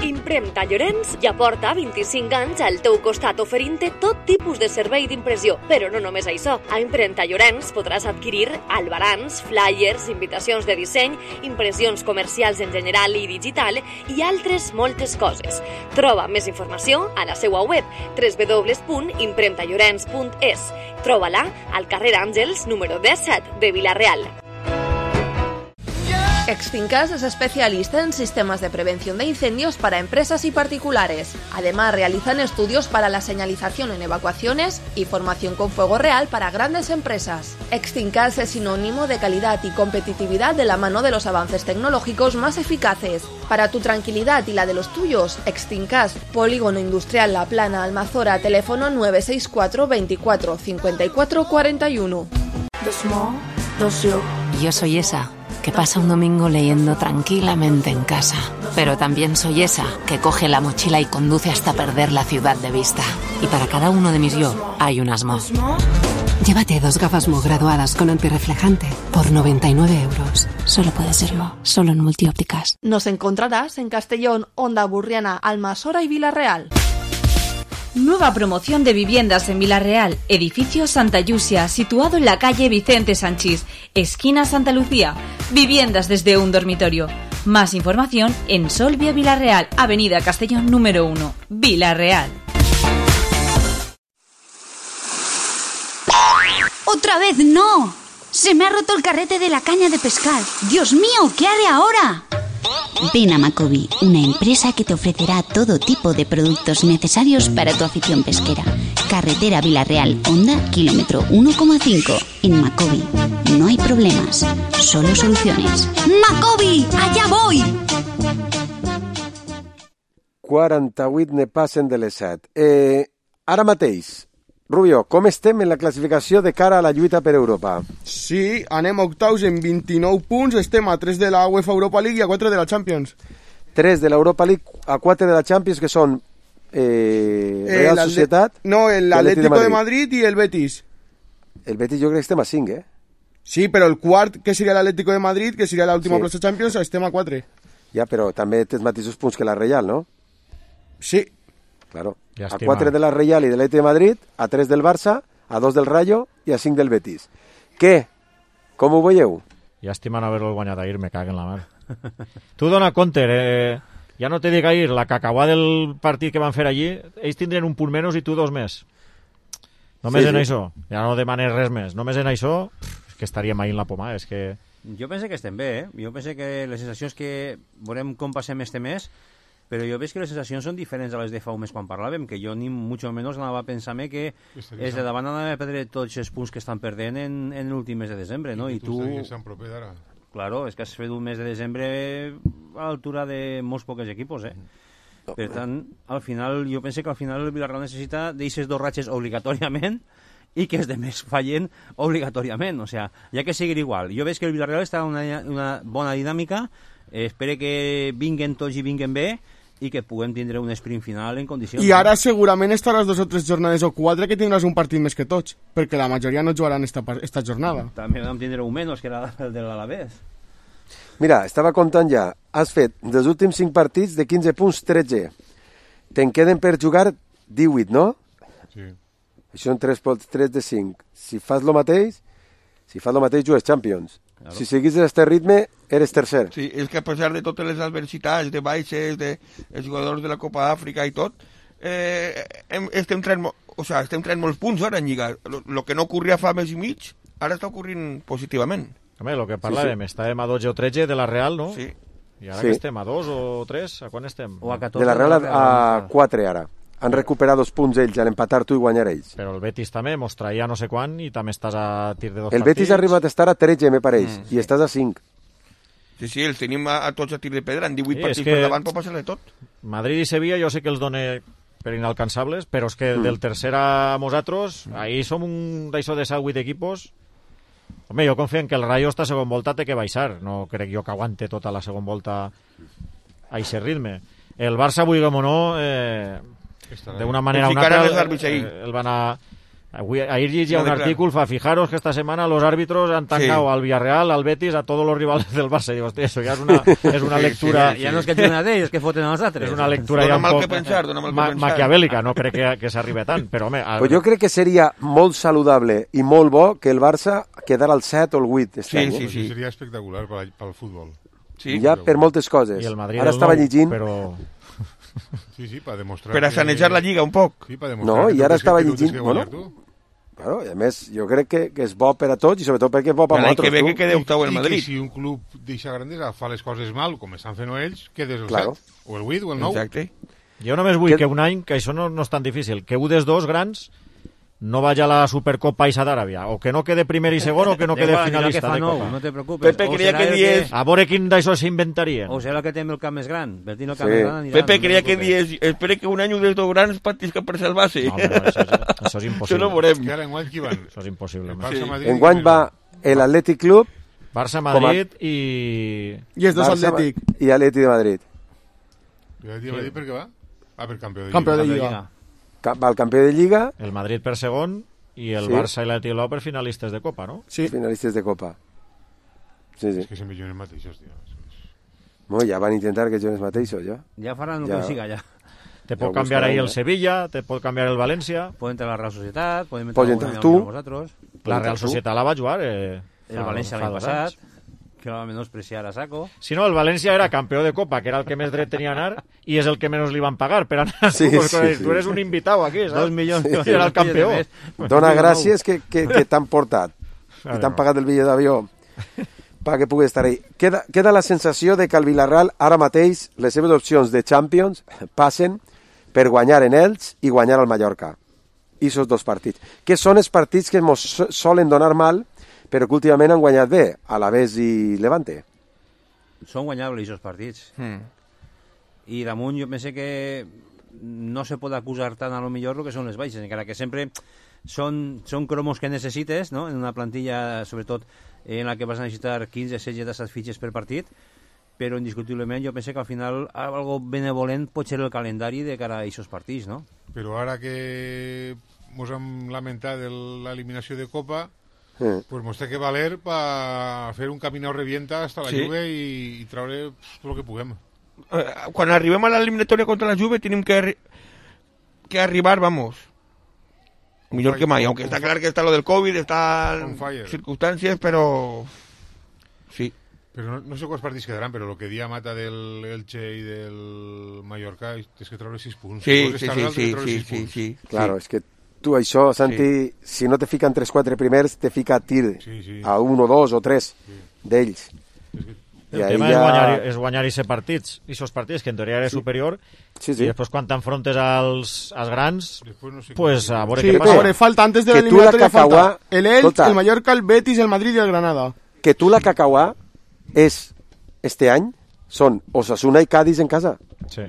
Speaker 8: Impremta Llorenç ja porta vint-i-cinc anys al teu costat oferint-te tot tipus de servei d'impressió. Però no només això. A Impremta Llorenç podràs adquirir albarans, flyers, invitacions de disseny, impressions comercials en general i digital i altres moltes coses. Troba més informació a la seva web w w w punt impremta llorenç punt es. Troba-la al carrer Àngels número disset de Vila-real.
Speaker 15: Yeah!
Speaker 4: Extincas es especialista en sistemas de prevención de incendios para empresas y particulares. Además, realizan estudios para la señalización en evacuaciones y formación con fuego real para grandes empresas. Extincas es sinónimo de calidad y competitividad de la mano de los avances tecnológicos más eficaces. Para tu tranquilidad y la de los tuyos, Extincas, Polígono Industrial La Plana, Almazora, teléfono nueve seis cuatro veinticuatro cincuenta y cuatro cuarenta y uno.
Speaker 15: Yo soy esa que pasa un domingo leyendo tranquilamente en casa. Pero también soy esa que coge la mochila y conduce hasta perder la ciudad de vista. Y para cada uno de mis yo hay un Asmo.
Speaker 16: Llévate dos gafas Mo graduadas con antirreflejante por noventa y nueve euros. Solo puede ser Mo, solo en Multiópticas.
Speaker 4: Nos encontrarás en Castellón, Onda Burriana, Almasora y Vilarreal.
Speaker 9: Nueva promoción de viviendas en Vilarreal, edificio Santa Llucia, situado en la calle Vicente Sanchís, esquina Santa Lucía. Viviendas desde un dormitorio. Más información en Solvia Vilarreal, avenida Castellón número uno, Vilarreal.
Speaker 17: ¡Otra vez no! Se me ha roto el carrete de la caña de pescar. ¡Dios mío! ¿Qué haré ahora?
Speaker 18: Ven a Macobi, una empresa que te ofrecerá todo tipo de productos necesarios para tu afición pesquera. Carretera Vilarreal, Honda, kilómetro uno coma cinco. En Macobi no hay problemas, solo soluciones.
Speaker 17: ¡Macobi! ¡Allá voy!
Speaker 1: quaranta-vuit ne passen de les set. Eh, ara mateix, Rubio, com estem en la classificació de cara a la lluita per Europa?
Speaker 2: Sí, anem octaus en vint-i-nou punts, estem a tres de la UEFA Europa League i a quatre de la Champions.
Speaker 1: tres de l'Europa League a quatre de la Champions, que són eh, Real
Speaker 2: eh,
Speaker 1: Societat...
Speaker 2: No, el Atlético de Madrid. de Madrid i el Betis.
Speaker 1: El Betis jo crec que estem a cinc, eh?
Speaker 2: Sí, però el quart, que seria l'Atlético de Madrid, que seria l'última sí. plaça Champions, estem a quatre.
Speaker 1: Ja, però també té els mateixos punts que la Real, no?
Speaker 2: Sí.
Speaker 1: Claro. A quatre de la Real i de l'Atlético de Madrid, a tres del Barça, a dos del Rayo i a cinc del Betis. Què? Com ho veieu?
Speaker 3: Llàstima no haver-lo guanyat ahir, me cago en la mar. Tu dona compte, eh? Ja no te dic ahir, la cacauà del partit que van fer allí, ells tindrien un punt menys i tu dos més. Només sí, en sí. això. Ja no demanes res més. Només en això, pff, que estaríem ahir en la poma, és que...
Speaker 12: Jo penso que estem bé, eh? Jo penso que les sensacions que veurem com passem este mes, però jo veig que les sensacions són diferents a les de fa un mes quan parlàvem, que jo ni mucho menos anava a pensar-me que és de davant anava a perdre tots els punts que estan perdent en, en l'últim mes de desembre, no? I tu... Claro, és que has fet un mes de desembre a l'altura de molts pocs equipos, eh? Per tant, al final, jo penso que al final el Villarreal necessita d'eixes dos ratxes obligatòriament i que els demés fallen obligatòriament, o sea, ja que seguir igual. Jo veig que el Villarreal està en una, una bona dinàmica, eh, espero que vinguen tots i vinguen bé, i que puguem tindre un sprint final en condicions.
Speaker 2: I ara segurament estaràs dos o tres jornades o quatre que tindràs un partit més que tots, perquè la majoria no jugaran esta, esta jornada.
Speaker 12: També vam tindre un menys, que era el de l'Alavés.
Speaker 1: Mira, estava comptant ja. Has fet dels últims cinc partits de quinze punts, tretze. Te'n queden per jugar divuit, no?
Speaker 10: Sí.
Speaker 1: Això són tres de cinc. Si fas lo mateix, si fas lo mateix jugues Champions. Claro. Si seguís este ritme, eres tercer.
Speaker 11: Sí, és que a pesar de totes les adversitats, de baixes, de els jugadors de la Copa Àfrica i tot, eh, estem traient, o sea, estem traient molts punts ara en Lliga. Lo, lo que no ocorria fa mes i mig, ara està ocorrint positivament.
Speaker 3: Home, lo que parlàvem, sí, sí. Estàvem a dotze o tretze de la Real, no?
Speaker 11: Sí.
Speaker 3: I ara
Speaker 1: sí.
Speaker 3: que estem a dos o tres, a quan estem?
Speaker 12: O a catorze.
Speaker 1: De la Real a, a quatre ara. Han recuperat dos punts ells, al empatar tu i guanyar ells.
Speaker 3: Però el Betis també mos traia no sé quan i també estàs a tir de dos
Speaker 1: el
Speaker 3: partits. El
Speaker 1: Betis ha arribat a estar a tretze, me pareix, mm, sí. i estàs a cinc.
Speaker 11: Sí, sí, els tenim a, a tots a tir de pedra, en divuit sí, partits per davant pot passar-ne tot.
Speaker 3: Madrid i Sevilla jo sé que els done per inalcançables, però és que mm. del tercer a nosaltres, mm. ahí som un d'això de set o vuit equipos. Home, jo confio en que el Rayo esta segon volta té que baixar, no crec jo que aguante tota la segon volta a aquest ritme. El Barça, vulguem o no, eh, d'una manera o una altra, eh, el van a... Avui, ahir llegia un artículo, fa, fijaros que esta semana los árbitros han tancado sí. al Villarreal, al Betis, a todos los rivales del Barça. Digo, hostia, eso ya es una, es una lectura...
Speaker 12: Sí, sí, sí. Ja no és que tiren a d'ells, que foten a nosaltres.
Speaker 3: És una lectura ja un poc
Speaker 11: pensar,
Speaker 3: ma maquiavèlica, no crec que, que s'arribi tant, però home... A...
Speaker 1: Pues jo crec que seria molt saludable i molt bo que el Barça quedara al set o el vuit.
Speaker 10: Sí, any, sí, sí. Seria espectacular pel futbol.
Speaker 1: Sí, ja per moltes coses.
Speaker 3: I el Madrid
Speaker 1: ara estava nou, llegint...
Speaker 3: Però...
Speaker 10: Sí, sí, per demostrar...
Speaker 11: Per a sanejar que... la Lliga un poc.
Speaker 10: Sí, per
Speaker 1: demostrar no, i ara estava llegint... Bueno, Claro, i a més, jo crec que, que és bo per a tots i sobretot perquè és bo per a nosaltres.
Speaker 11: Que ve que quede octavo el Madrid.
Speaker 10: I que si un club deixa grandesa fa les coses mal, com estan fent ells, quedes el
Speaker 1: claro.
Speaker 10: set, o el vuit, o el nou.
Speaker 11: Exacte.
Speaker 3: Jo només vull que, que un any, que això no, no és tan difícil, que un dels dos grans no vaya a la Supercopa Isa d'Aràbia, o que no quede primer i segon, o que no quede finalista de Copa.
Speaker 12: No te preocupes.
Speaker 11: Pepe creia que dies...
Speaker 3: A veure quin d'això s'inventarien.
Speaker 12: O serà el que té el camp més gran. Bertín el camp
Speaker 1: Sí.
Speaker 12: més gran anirà,
Speaker 11: Pepe
Speaker 12: no
Speaker 11: creia
Speaker 12: te
Speaker 11: que
Speaker 12: preocupes.
Speaker 11: dies... Espere que un any un dels dos grans patisca per salvar-se.
Speaker 3: No, però això, és- això és impossible.
Speaker 11: Això no ho veurem.
Speaker 10: Que ara enguany qui van?
Speaker 3: Això és impossible.
Speaker 10: El
Speaker 3: home.
Speaker 10: Barça, Madrid,
Speaker 1: Enguany
Speaker 10: i-
Speaker 1: va l'Atlètic Club
Speaker 3: Barça,
Speaker 1: Com a-
Speaker 3: Madrid i...
Speaker 2: I els dos
Speaker 1: Barça
Speaker 2: Atlètic.
Speaker 1: i Atlètic de Madrid.
Speaker 10: I el dia va dir per què va? Ah, per campió de
Speaker 2: Campió de
Speaker 10: Lliga.
Speaker 2: Lliga.
Speaker 1: Ca- Va el campió de Lliga,
Speaker 3: El Madrid per segon i el
Speaker 1: Sí.
Speaker 3: Barça i l'Atlètic Bilbao per finalistes de Copa, no?
Speaker 2: Sí.
Speaker 1: finalistes de Copa. Sí, sí.
Speaker 10: És que sempre juguen els mateixos, tio.
Speaker 1: Bueno, ja van intentar que juguen els mateixos, ja.
Speaker 12: Ja faran el
Speaker 1: Ja.
Speaker 12: que siga, ja.
Speaker 3: Te
Speaker 1: Ja
Speaker 3: pot
Speaker 1: ho
Speaker 3: canviar
Speaker 1: buscarem,
Speaker 3: ahí el
Speaker 1: eh?
Speaker 3: Sevilla, te pot canviar el València.
Speaker 12: Puede entrar la Real Sociedad, puede entrar
Speaker 1: Pots
Speaker 12: alguna
Speaker 1: entrar
Speaker 12: de
Speaker 1: tu.
Speaker 12: vosotros.
Speaker 3: La Real
Speaker 1: tu.
Speaker 3: Societat la va jugar. Eh,
Speaker 12: El
Speaker 3: fa-
Speaker 12: València
Speaker 3: fa
Speaker 12: l'any
Speaker 3: dos
Speaker 12: passat,
Speaker 3: anys.
Speaker 12: que la va menospreciar a saco.
Speaker 3: Si no, el València era campió de Copa, que era el que més dret tenia a anar, i és el que menys li van pagar per anar.
Speaker 1: Sí,
Speaker 3: tu, pues,
Speaker 1: sí, sí.
Speaker 3: tu eres un invitado aquí, ¿sabes?
Speaker 12: Dos milions.
Speaker 3: Sí. Era el campió.
Speaker 1: Dona gràcies que, que, que t'han portat
Speaker 3: Claro.
Speaker 1: i t'han pagat el bitllet d'avió perquè puguis estar ahí. Queda, queda la sensació de que el Villarreal ara mateix les seves opcions de Champions passen per guanyar en ells i guanyar al Mallorca. I esos dos partits. Que són els partits que ens so- solen donar mal, però que últimament han guanyat bé, Alavés i Levante.
Speaker 12: Són guanyables, aquests partits.
Speaker 11: Hmm.
Speaker 12: I damunt jo pense que no se pot acusar tant a lo millor el que són les baixes, encara que sempre són, són cromos que necessites, no? En una plantilla, sobretot, en la que vas a necessitar quinze, setze, disset fitxes per partit, però indiscutiblement jo penso que al final algo benevolent pot ser el calendari de cara a aquests partits, no?
Speaker 10: Però ara que mos hem lamentat de l'eliminació de Copa,
Speaker 1: Mm.
Speaker 10: pues mos té que valer per fer un caminau revienta hasta la
Speaker 11: Sí.
Speaker 10: Juve i, i traure pues, tot el que puguem.
Speaker 11: Eh, Quan arribem a l'eliminatòria contra la Juve tenim que, arri que arribar, vamos, millor que mai, aunque està clar que està lo del Covid, està
Speaker 10: On fire.
Speaker 11: circumstàncies, però sí.
Speaker 10: Però no, no sé quants partits quedaran, però el que dia Mata del Elche i del Mallorca és que treure sis punts.
Speaker 11: Sí,
Speaker 10: Vols
Speaker 11: sí,
Speaker 10: estar
Speaker 11: sí,
Speaker 10: dalt,
Speaker 11: sí,
Speaker 10: treure
Speaker 11: sí,
Speaker 10: sis
Speaker 11: sí,
Speaker 10: punts.
Speaker 11: sí.
Speaker 1: Claro, és que tu això, Santi, si no te fiquen tres quatre primers, te fica a tir
Speaker 10: Sí, sí.
Speaker 1: a un o dos o tres d'ells.
Speaker 3: El tema és guanyar, és guanyar aquests partits, aquests partits, que en teoria eres
Speaker 1: Sí.
Speaker 3: superior,
Speaker 1: Sí, sí.
Speaker 3: i després quan t'enfrontes als, als grans,
Speaker 10: Després no sé
Speaker 3: pues a veure
Speaker 2: Sí,
Speaker 3: què
Speaker 2: a
Speaker 3: passa.
Speaker 2: veure, falta antes de
Speaker 1: Que tu la
Speaker 2: l'eliminatòria falta
Speaker 1: Cacauà-
Speaker 2: el Elche,
Speaker 1: Escolta.
Speaker 2: el Mallorca, el Betis, el Madrid i el Granada.
Speaker 1: Que tu la Cacauà és, este any, són Osasuna i Cádiz en casa.
Speaker 3: Sí.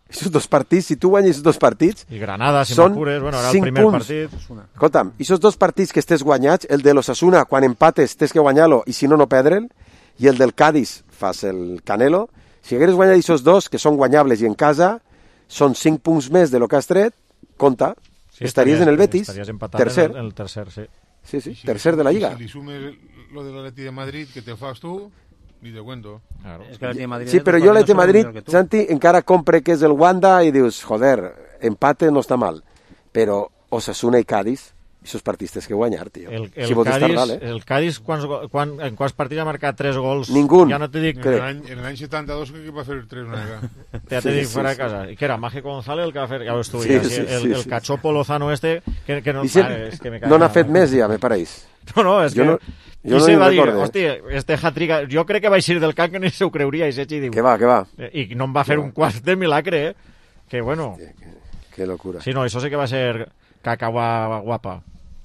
Speaker 1: Esos dos partits, si tu guanyes esos dos partits...
Speaker 3: I Granada, si
Speaker 1: són
Speaker 3: m'apures, bueno, era el
Speaker 1: cinc
Speaker 3: primer
Speaker 1: punts.
Speaker 3: partit.
Speaker 1: Escolta'm, esos dos partits que estés guanyats, el de l'Osasuna, quan empates, tens que guanyar-lo, i si no, no perdre'l, i el del Cádiz, fas el Canelo. Si hagueres guanyat esos dos, que són guanyables i en casa, són cinc punts més de lo que has tret, compta,
Speaker 3: Sí,
Speaker 1: estaries en el Betis,
Speaker 3: estaries empatant
Speaker 1: tercer.
Speaker 3: En el, en el tercer, sí.
Speaker 1: Sí, sí,
Speaker 10: Si
Speaker 1: tercer de la
Speaker 10: li-
Speaker 1: Lliga.
Speaker 10: Si li sumes lo de l'Atleti de Madrid, que te fas tu, ni te cuento.
Speaker 3: Claro.
Speaker 12: És que l'Atleti de Madrid...
Speaker 1: Sí, però jo l'Atleti de Madrid, Santi, encara compre que és el Wanda i dius, joder, empate no està mal. Però Osasuna i Cádiz, esos partits tens que guanyar, tio.
Speaker 3: El, el,
Speaker 1: si vols estar
Speaker 3: Cádiz,
Speaker 1: dalt, eh?
Speaker 3: el Cádiz quants, go- quan, en quants partits ha marcat tres gols?
Speaker 1: Ningú.
Speaker 3: Ja no te dic...
Speaker 10: En l'any en l'any setanta-dos crec que va fer tres una vegada.
Speaker 3: Ja te
Speaker 1: Sí,
Speaker 3: dic
Speaker 1: sí,
Speaker 3: fuera
Speaker 1: sí.
Speaker 3: de casa. I que era Mágico González el que va fer... Ja ho estuve,
Speaker 1: Sí,
Speaker 3: sí,
Speaker 1: sí,
Speaker 3: el,
Speaker 1: sí,
Speaker 3: el
Speaker 1: sí.
Speaker 3: cachopo Lozano este, que, que no...
Speaker 1: I se,
Speaker 3: Vale, és que me cae
Speaker 1: no n'ha
Speaker 3: mal.
Speaker 1: fet més ja, me pareix.
Speaker 3: No, no, és
Speaker 1: Jo
Speaker 3: que...
Speaker 1: no- jo
Speaker 3: I
Speaker 1: no
Speaker 3: se
Speaker 1: ni
Speaker 3: va dir,
Speaker 1: recorde, eh?
Speaker 3: hòstia, este hat-trick... Jo crec que va eixir del camp que ni se ho creuria, i Sechi diu...
Speaker 1: Que va, que va.
Speaker 3: I no em va fer un quart de milagre, eh? Que bueno...
Speaker 1: Que locura.
Speaker 3: Sí, no, això sí que va ser cacauà guapa.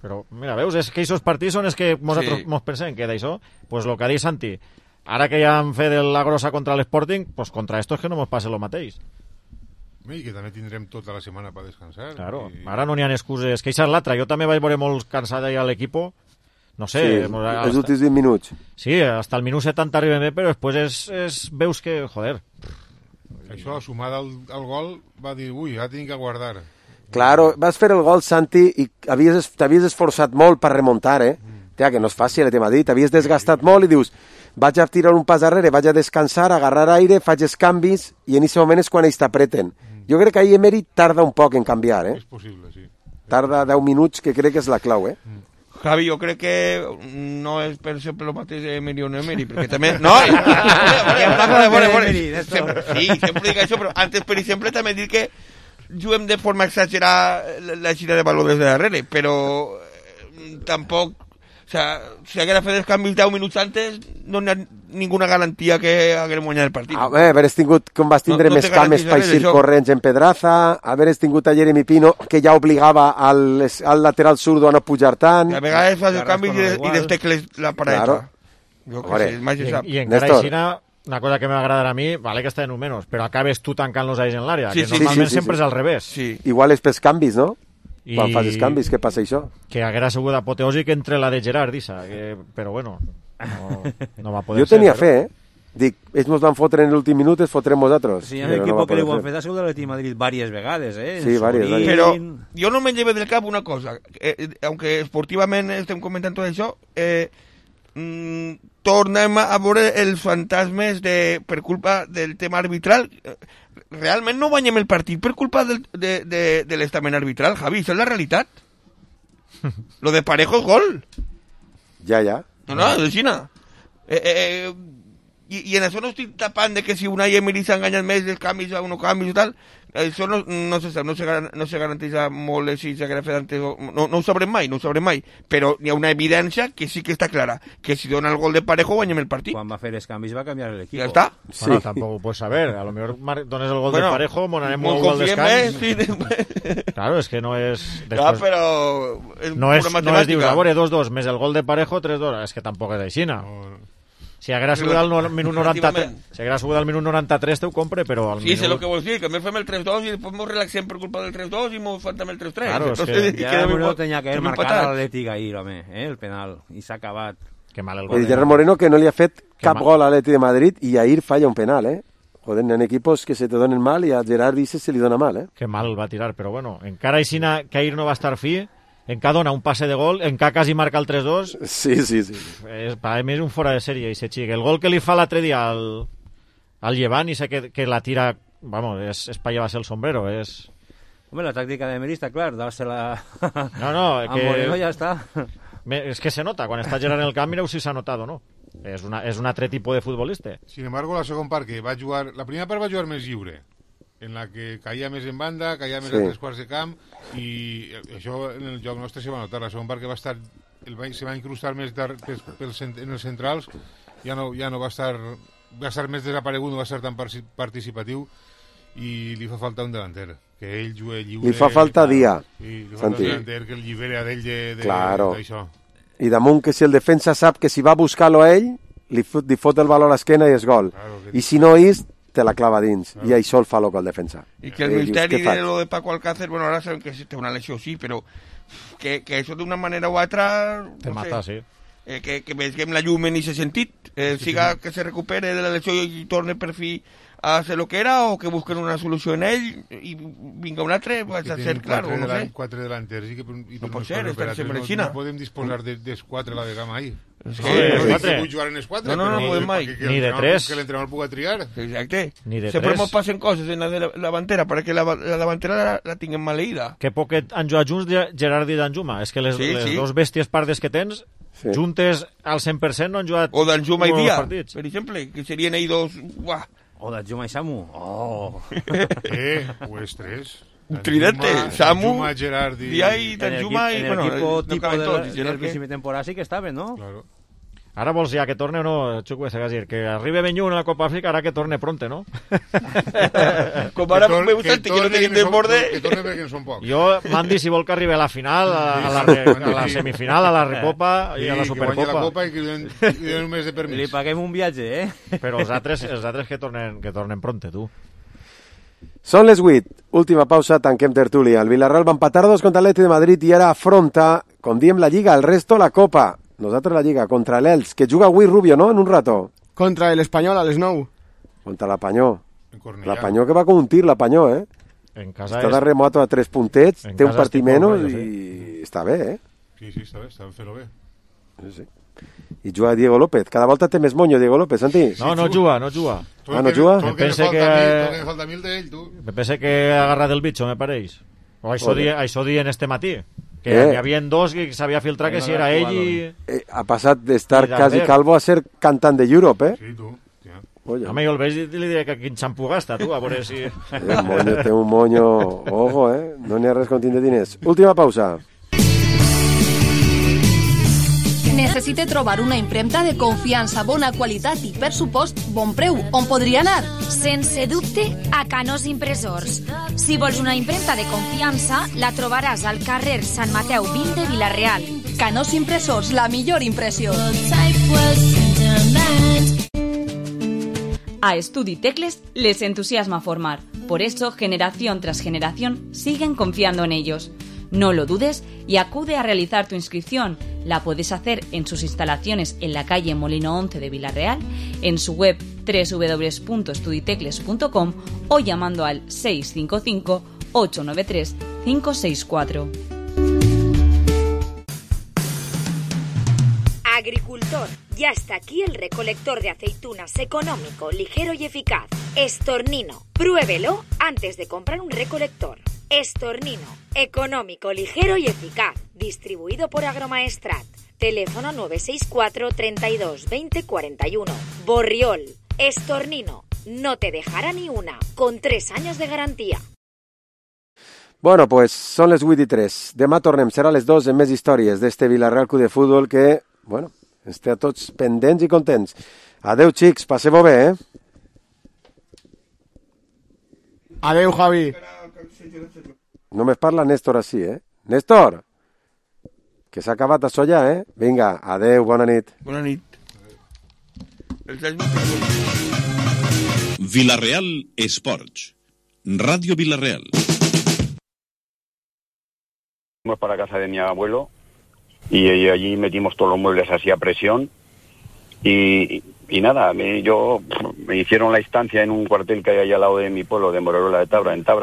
Speaker 3: Però, mira, veus, és que aquests partits són els que nosaltres
Speaker 11: Sí.
Speaker 3: mos pensem que d'això, pues lo que ha dit Santi, ara que ja han fet la grossa contra l'Sporting, pues contra estos que no mos passe lo mateix.
Speaker 10: I que també tindrem tota la setmana per descansar.
Speaker 3: Claro,
Speaker 10: I...
Speaker 3: ara no n'hi ha excuses. Que això és l'altra. Jo també vaig veure molt cansat allà a l'equipo. No sé...
Speaker 1: Sí,
Speaker 3: mos-
Speaker 1: els
Speaker 3: hasta-
Speaker 1: últims vint minuts.
Speaker 3: Sí, hasta el minut setanta arribem bé, però després és, és, veus que, joder...
Speaker 10: Això, sumada al, al gol, va dir, ui, ja tinc que guardar.
Speaker 1: Claro, vas fer el gol, Santi, i havies, t'havies esforçat molt per remuntar, eh? Tia, que no és fàcil, t'he dit, t'havies desgastat molt i dius, vaig a tirar un pas darrere, vaig a descansar, agarrar aire, faig els canvis, i en aquest moment és quan ells t'apreten. Jo crec que ahir Emery tarda un poc en canviar, eh?
Speaker 10: És possible, sí.
Speaker 1: Tarda deu minuts, que crec que és la clau, eh?
Speaker 11: Javi, jo crec que no és per sempre el mateix Emery o no Emery, perquè també... No, i, i, fora, fora, fora. Sempre, sí, sempre dic això, però antes, per exemple, també dic que juguem de forma exagerada la, la gira de valor des de darrere, però tampoc... O sea, si haguera fet els canvis deu minuts antes, no hi ha ninguna garantia que haguem guanyat el partit.
Speaker 1: A veure, haveres tingut, com vas tindre no, no més cames per eixir corrents en Pedraza, haveres tingut a Jeremy Pino, que ja obligava al, al lateral zurdo a no pujar tant...
Speaker 11: A vegades fas el canvi i, i destecles la pareta. Claro. Jo que sé, mai se sap.
Speaker 3: I encara aixina, una cosa que m'agradarà a mi, vale que està en un menys, però acabes tu tancant los ais en l'àrea, sí, que sí, normalment sí, sí, sempre sí. És al revés.
Speaker 11: Sí.
Speaker 1: Igual és pels canvis, no? I... Quan fas els canvis, què passa això?
Speaker 3: Que haguera sigut apoteòsic entre la de Gerard, Issa, que... però bueno, no, no va poder
Speaker 1: ser. Jo tenia
Speaker 3: ser,
Speaker 1: fe, eh? Dic, ells mos van fotre en l'últim minut, es fotrem nosaltres.
Speaker 12: Sí, hi ha un equip no que li ho han fet a sigut l'Atleti Madrid diverses vegades, eh?
Speaker 1: Sí, diverses, diverses.
Speaker 11: Però jo no me lleve del cap una cosa, eh, aunque esportivament estem comentant tot això, eh, mm, tornem a veure els fantasmes de, per culpa del tema arbitral. Realment no guanyem el partit per culpa del, de, de, de l'estament arbitral, Javi, això és la realitat. Lo de Parejo és gol.
Speaker 1: Ja, ja.
Speaker 11: No, no, és Xina. Eh, eh, i, I en això no estic tapant de que si Unai Emery s'ha enganyat més dels canvis a unos canvis i tal, això no, no se sap, no se, no se garanteix molt si s'haguera fet antes, no, no ho sabrem mai, no ho sabrem mai, però hi ha una evidència que sí que està clara, que si dona el gol de Parejo guanyem el partit.
Speaker 12: Quan va fer els canvis va canviar l'equip.
Speaker 11: Ja està.
Speaker 3: Sí. Bueno, tampoc ho puedes saber, a lo mejor dones el gol bueno, de Parejo, monarem un gol descans.
Speaker 11: Sí, de...
Speaker 3: Claro, és que no és...
Speaker 11: Después... Ja, però... És
Speaker 3: no és, no és dius, a veure, dos dos, més el gol de Parejo, tres dos, és que tampoc és així, no? Si haguera sigut al minut noranta-tres, si haguera sigut al minut noranta-tres te ho compre, però al
Speaker 11: sí,
Speaker 3: minut...
Speaker 11: sé lo que vols dir, que més fem el tres dos i després ens relaxem per culpa del tres dos i ens faltem el tres tres.
Speaker 3: Claro, és
Speaker 12: que... Ja el Moreno tenia que haver marcat l'Atlètic ahir, home, eh, el penal, i s'ha acabat.
Speaker 3: Que mal el gol.
Speaker 1: El Gerard Moreno que no li ha fet cap gol a l'Atlètic de Madrid i ahir falla un penal, eh? Joder, hi ha equipos que se te donen mal i a Gerard dice se li dona mal, eh?
Speaker 3: Que mal va tirar, però bueno, encara així que ahir no va estar fi, encara dona un passe de gol, encara quasi marca el tres dos.
Speaker 1: Sí, sí, sí.
Speaker 3: És, per a mi és un fora de sèrie, i se xic. El gol que li fa l'altre dia al, al Llevant, i sé que, que la tira, vamos, és, és pa llevar-se el sombrero, és...
Speaker 12: Home, la tàctica de Emery està clar, dar-se-la...
Speaker 3: No, no, que...
Speaker 12: A Moreno ja està.
Speaker 3: És que se nota, quan està Gerard en el camp, mireu si s'ha notat o no. És, una, és un altre tipus de futbolista.
Speaker 10: Sin embargo, la segona part que va jugar... La primera part va jugar més lliure, en la que caia més en banda, caia més sí. a tres quarts de camp, i això en el joc nostre se va notar. La segona part que va estar, el va, se va incrustar més dar, pels, pels, en els centrals, ja no, ja no va estar, va estar més desaparegut, no va estar tan participatiu, i li fa falta un delanter, que ell jugui lliure.
Speaker 1: Li fa falta dia,
Speaker 10: i li fa falta un delanter que el llibera d'ell de, de,
Speaker 1: claro.
Speaker 10: d'això.
Speaker 1: I damunt que si el defensa sap que si va a buscar-lo a ell, li fot, li fot el valor a l'esquena i és gol. Claro, I si no és, te la clava dins, claro. I això el fa loco el defensa.
Speaker 11: I que el eh, misteri de lo de Paco Alcácer, bueno, ara sabem que té una lesió, sí, però que, que això d'una manera o altra...
Speaker 3: Te no mata, sé, sí.
Speaker 11: Eh, que, que veiem la llum en aquest sentit, eh, sí, siga sí. Que se recupere de la lesió i torne per fi a ser lo que era, o que busquen una solució en ell i vinga un altre, va a ser clar, o no sé.
Speaker 10: Quatre delanters i que i
Speaker 11: no pot ser, estan sempre en
Speaker 10: no,
Speaker 11: Xina.
Speaker 10: No podem disposar de, dels quatre a la de gamma ahí.
Speaker 11: Es
Speaker 10: que,
Speaker 11: no,
Speaker 10: no, no vull jugar en els quatre,
Speaker 11: no, no, no, no podem mai.
Speaker 10: Que, que
Speaker 3: ni de tres.
Speaker 10: Que l'entrenador puga triar.
Speaker 11: Exacte.
Speaker 3: Ni de
Speaker 11: Sempre
Speaker 3: tres.
Speaker 11: ens passen coses en la, de la, la davantera, perquè la, la davantera la, la tinguem maleïda.
Speaker 3: Que poquet han jugat junts Gerard i Danjuma. És que les, sí, les sí. dos bèsties pardes que tens, sí. juntes al cent per cent no han jugat...
Speaker 11: O Danjuma i Dia, per exemple, que serien ells dos... Uah.
Speaker 12: O Danjuma i Samu. Oh.
Speaker 10: eh, pues tres.
Speaker 11: Un tridente, Samu,
Speaker 10: Danjuma, Gerard i...
Speaker 11: Dia i Danjuma i...
Speaker 12: En el
Speaker 11: bueno,
Speaker 12: equipo
Speaker 11: no
Speaker 12: tipo de
Speaker 11: tots,
Speaker 12: la, del principi de temporada sí que estaven, ¿no?
Speaker 10: Claro.
Speaker 3: Ara vols ja que torne o no, Xucu, és a dir, que arribi Benyun a la Copa Àfrica, ara que torne pronte, no?
Speaker 11: Com ara me gusta el que no tenim desborde...
Speaker 10: Que torne perquè en són pocs.
Speaker 3: Jo, Mandi, si vol que arribi a la final, a, a, la, re, a la semifinal, a la Recopa i a la Supercopa.
Speaker 10: Que guanyi la Copa i que li donen un mes de permís.
Speaker 12: Li paguem un viatge, eh?
Speaker 3: Però els altres, els altres que tornen, que tornen pronte, tu.
Speaker 1: Són les vuit. Última pausa, tanquem tertúlia. El Villarreal va empatar dos contra l'Atlètic de Madrid i ara afronta, com diem la Lliga, el resto la Copa. Nosaltres la Lliga, contra l'Elx, que juga avui Rubio, no?, en un rato.
Speaker 2: Contra l'Espanyol, a les nou.
Speaker 1: Contra l'Apanyó. L'Apanyó que va com un tir, l'Apanyó, eh?
Speaker 3: En casa
Speaker 1: està
Speaker 3: és...
Speaker 1: de remoto a tres puntets,
Speaker 3: en
Speaker 1: té un partit menys i
Speaker 3: sí.
Speaker 1: està bé, eh?
Speaker 10: Sí, sí, està bé, està fent-ho bé.
Speaker 1: Sí, sí. I juga Diego López. Cada volta té més monyo, Diego López, Santi.
Speaker 3: No, no juga, no juga.
Speaker 1: Ah, no juga?
Speaker 10: Tot que me falta mil d'ell, tu.
Speaker 3: Me pense que ha agarrat el bitxo, me pareix. O això dien este matí. Que
Speaker 1: eh.
Speaker 3: hi havia dos que s'havia filtrat que si era ell i...
Speaker 1: Eh, ha passat d'estar quasi calvo a ser cantant de Europe, eh?
Speaker 10: Sí, tu. Ja.
Speaker 3: Home, jo el veig i li diré que quin xampú gasta, tu, a veure si...
Speaker 1: Té un monyo, té un monyo... Ojo, eh? No n'hi ha res com tindre diners. Última pausa.
Speaker 4: Necessite trobar una impremta de confiança, bona qualitat i, per supost, bon preu. On podria anar?
Speaker 5: Sense dubte, a Canós Impressors. Si vols una impremta de confiança, la trobaràs al carrer Sant Mateu vint de Vila-real.
Speaker 4: Canós Impressors, la millor impressió.
Speaker 9: A Estudi Tecles les entusiasma formar. Por eso, generación tras generación, siguen confiando en ellos. No lo dudes y acude a realizar tu inscripción. La puedes hacer en sus instalaciones en la calle Molino once de Vila-real, en su web doble u doble u doble u punto estuditecles punto com o llamando al seis cinco cinco, ocho nueve tres, cinco seis cuatro.
Speaker 19: Agricultor, ya está aquí el recolector de aceitunas económico, ligero y eficaz. Estornino, pruébelo antes de comprar un recolector. Estornino, económico, ligero y eficaz. Distribuido por Agromaestrat. Teléfono nueve seis cuatro, treinta y dos, veinte, cuarenta y uno. Borriol, Estornino, no te dejará ni una, con tres años de garantía.
Speaker 1: Bueno, pues són les vuit i tres. Demà tornem, serà les dos en més històries d'este Vila-real Club de Futbol que, bueno, ens té a tots pendents i contents. Adeu, xics, passeu-ho bé, eh?
Speaker 2: Adeu, Javi.
Speaker 1: Només parla Néstor així, eh? Néstor! Que s'ha acabat això ja, eh? Vinga, adeu, bona nit.
Speaker 11: Bona nit.
Speaker 14: Vila-real Sports. Radio Vila-real.
Speaker 20: Fuimos para casa de mi abuelo y, y allí metimos todos los muebles así a presión y, y nada, me, yo me hicieron la estancia en un cuartel que hay allá al lado de mi pueblo, de Morola de Tabra, en Tabra.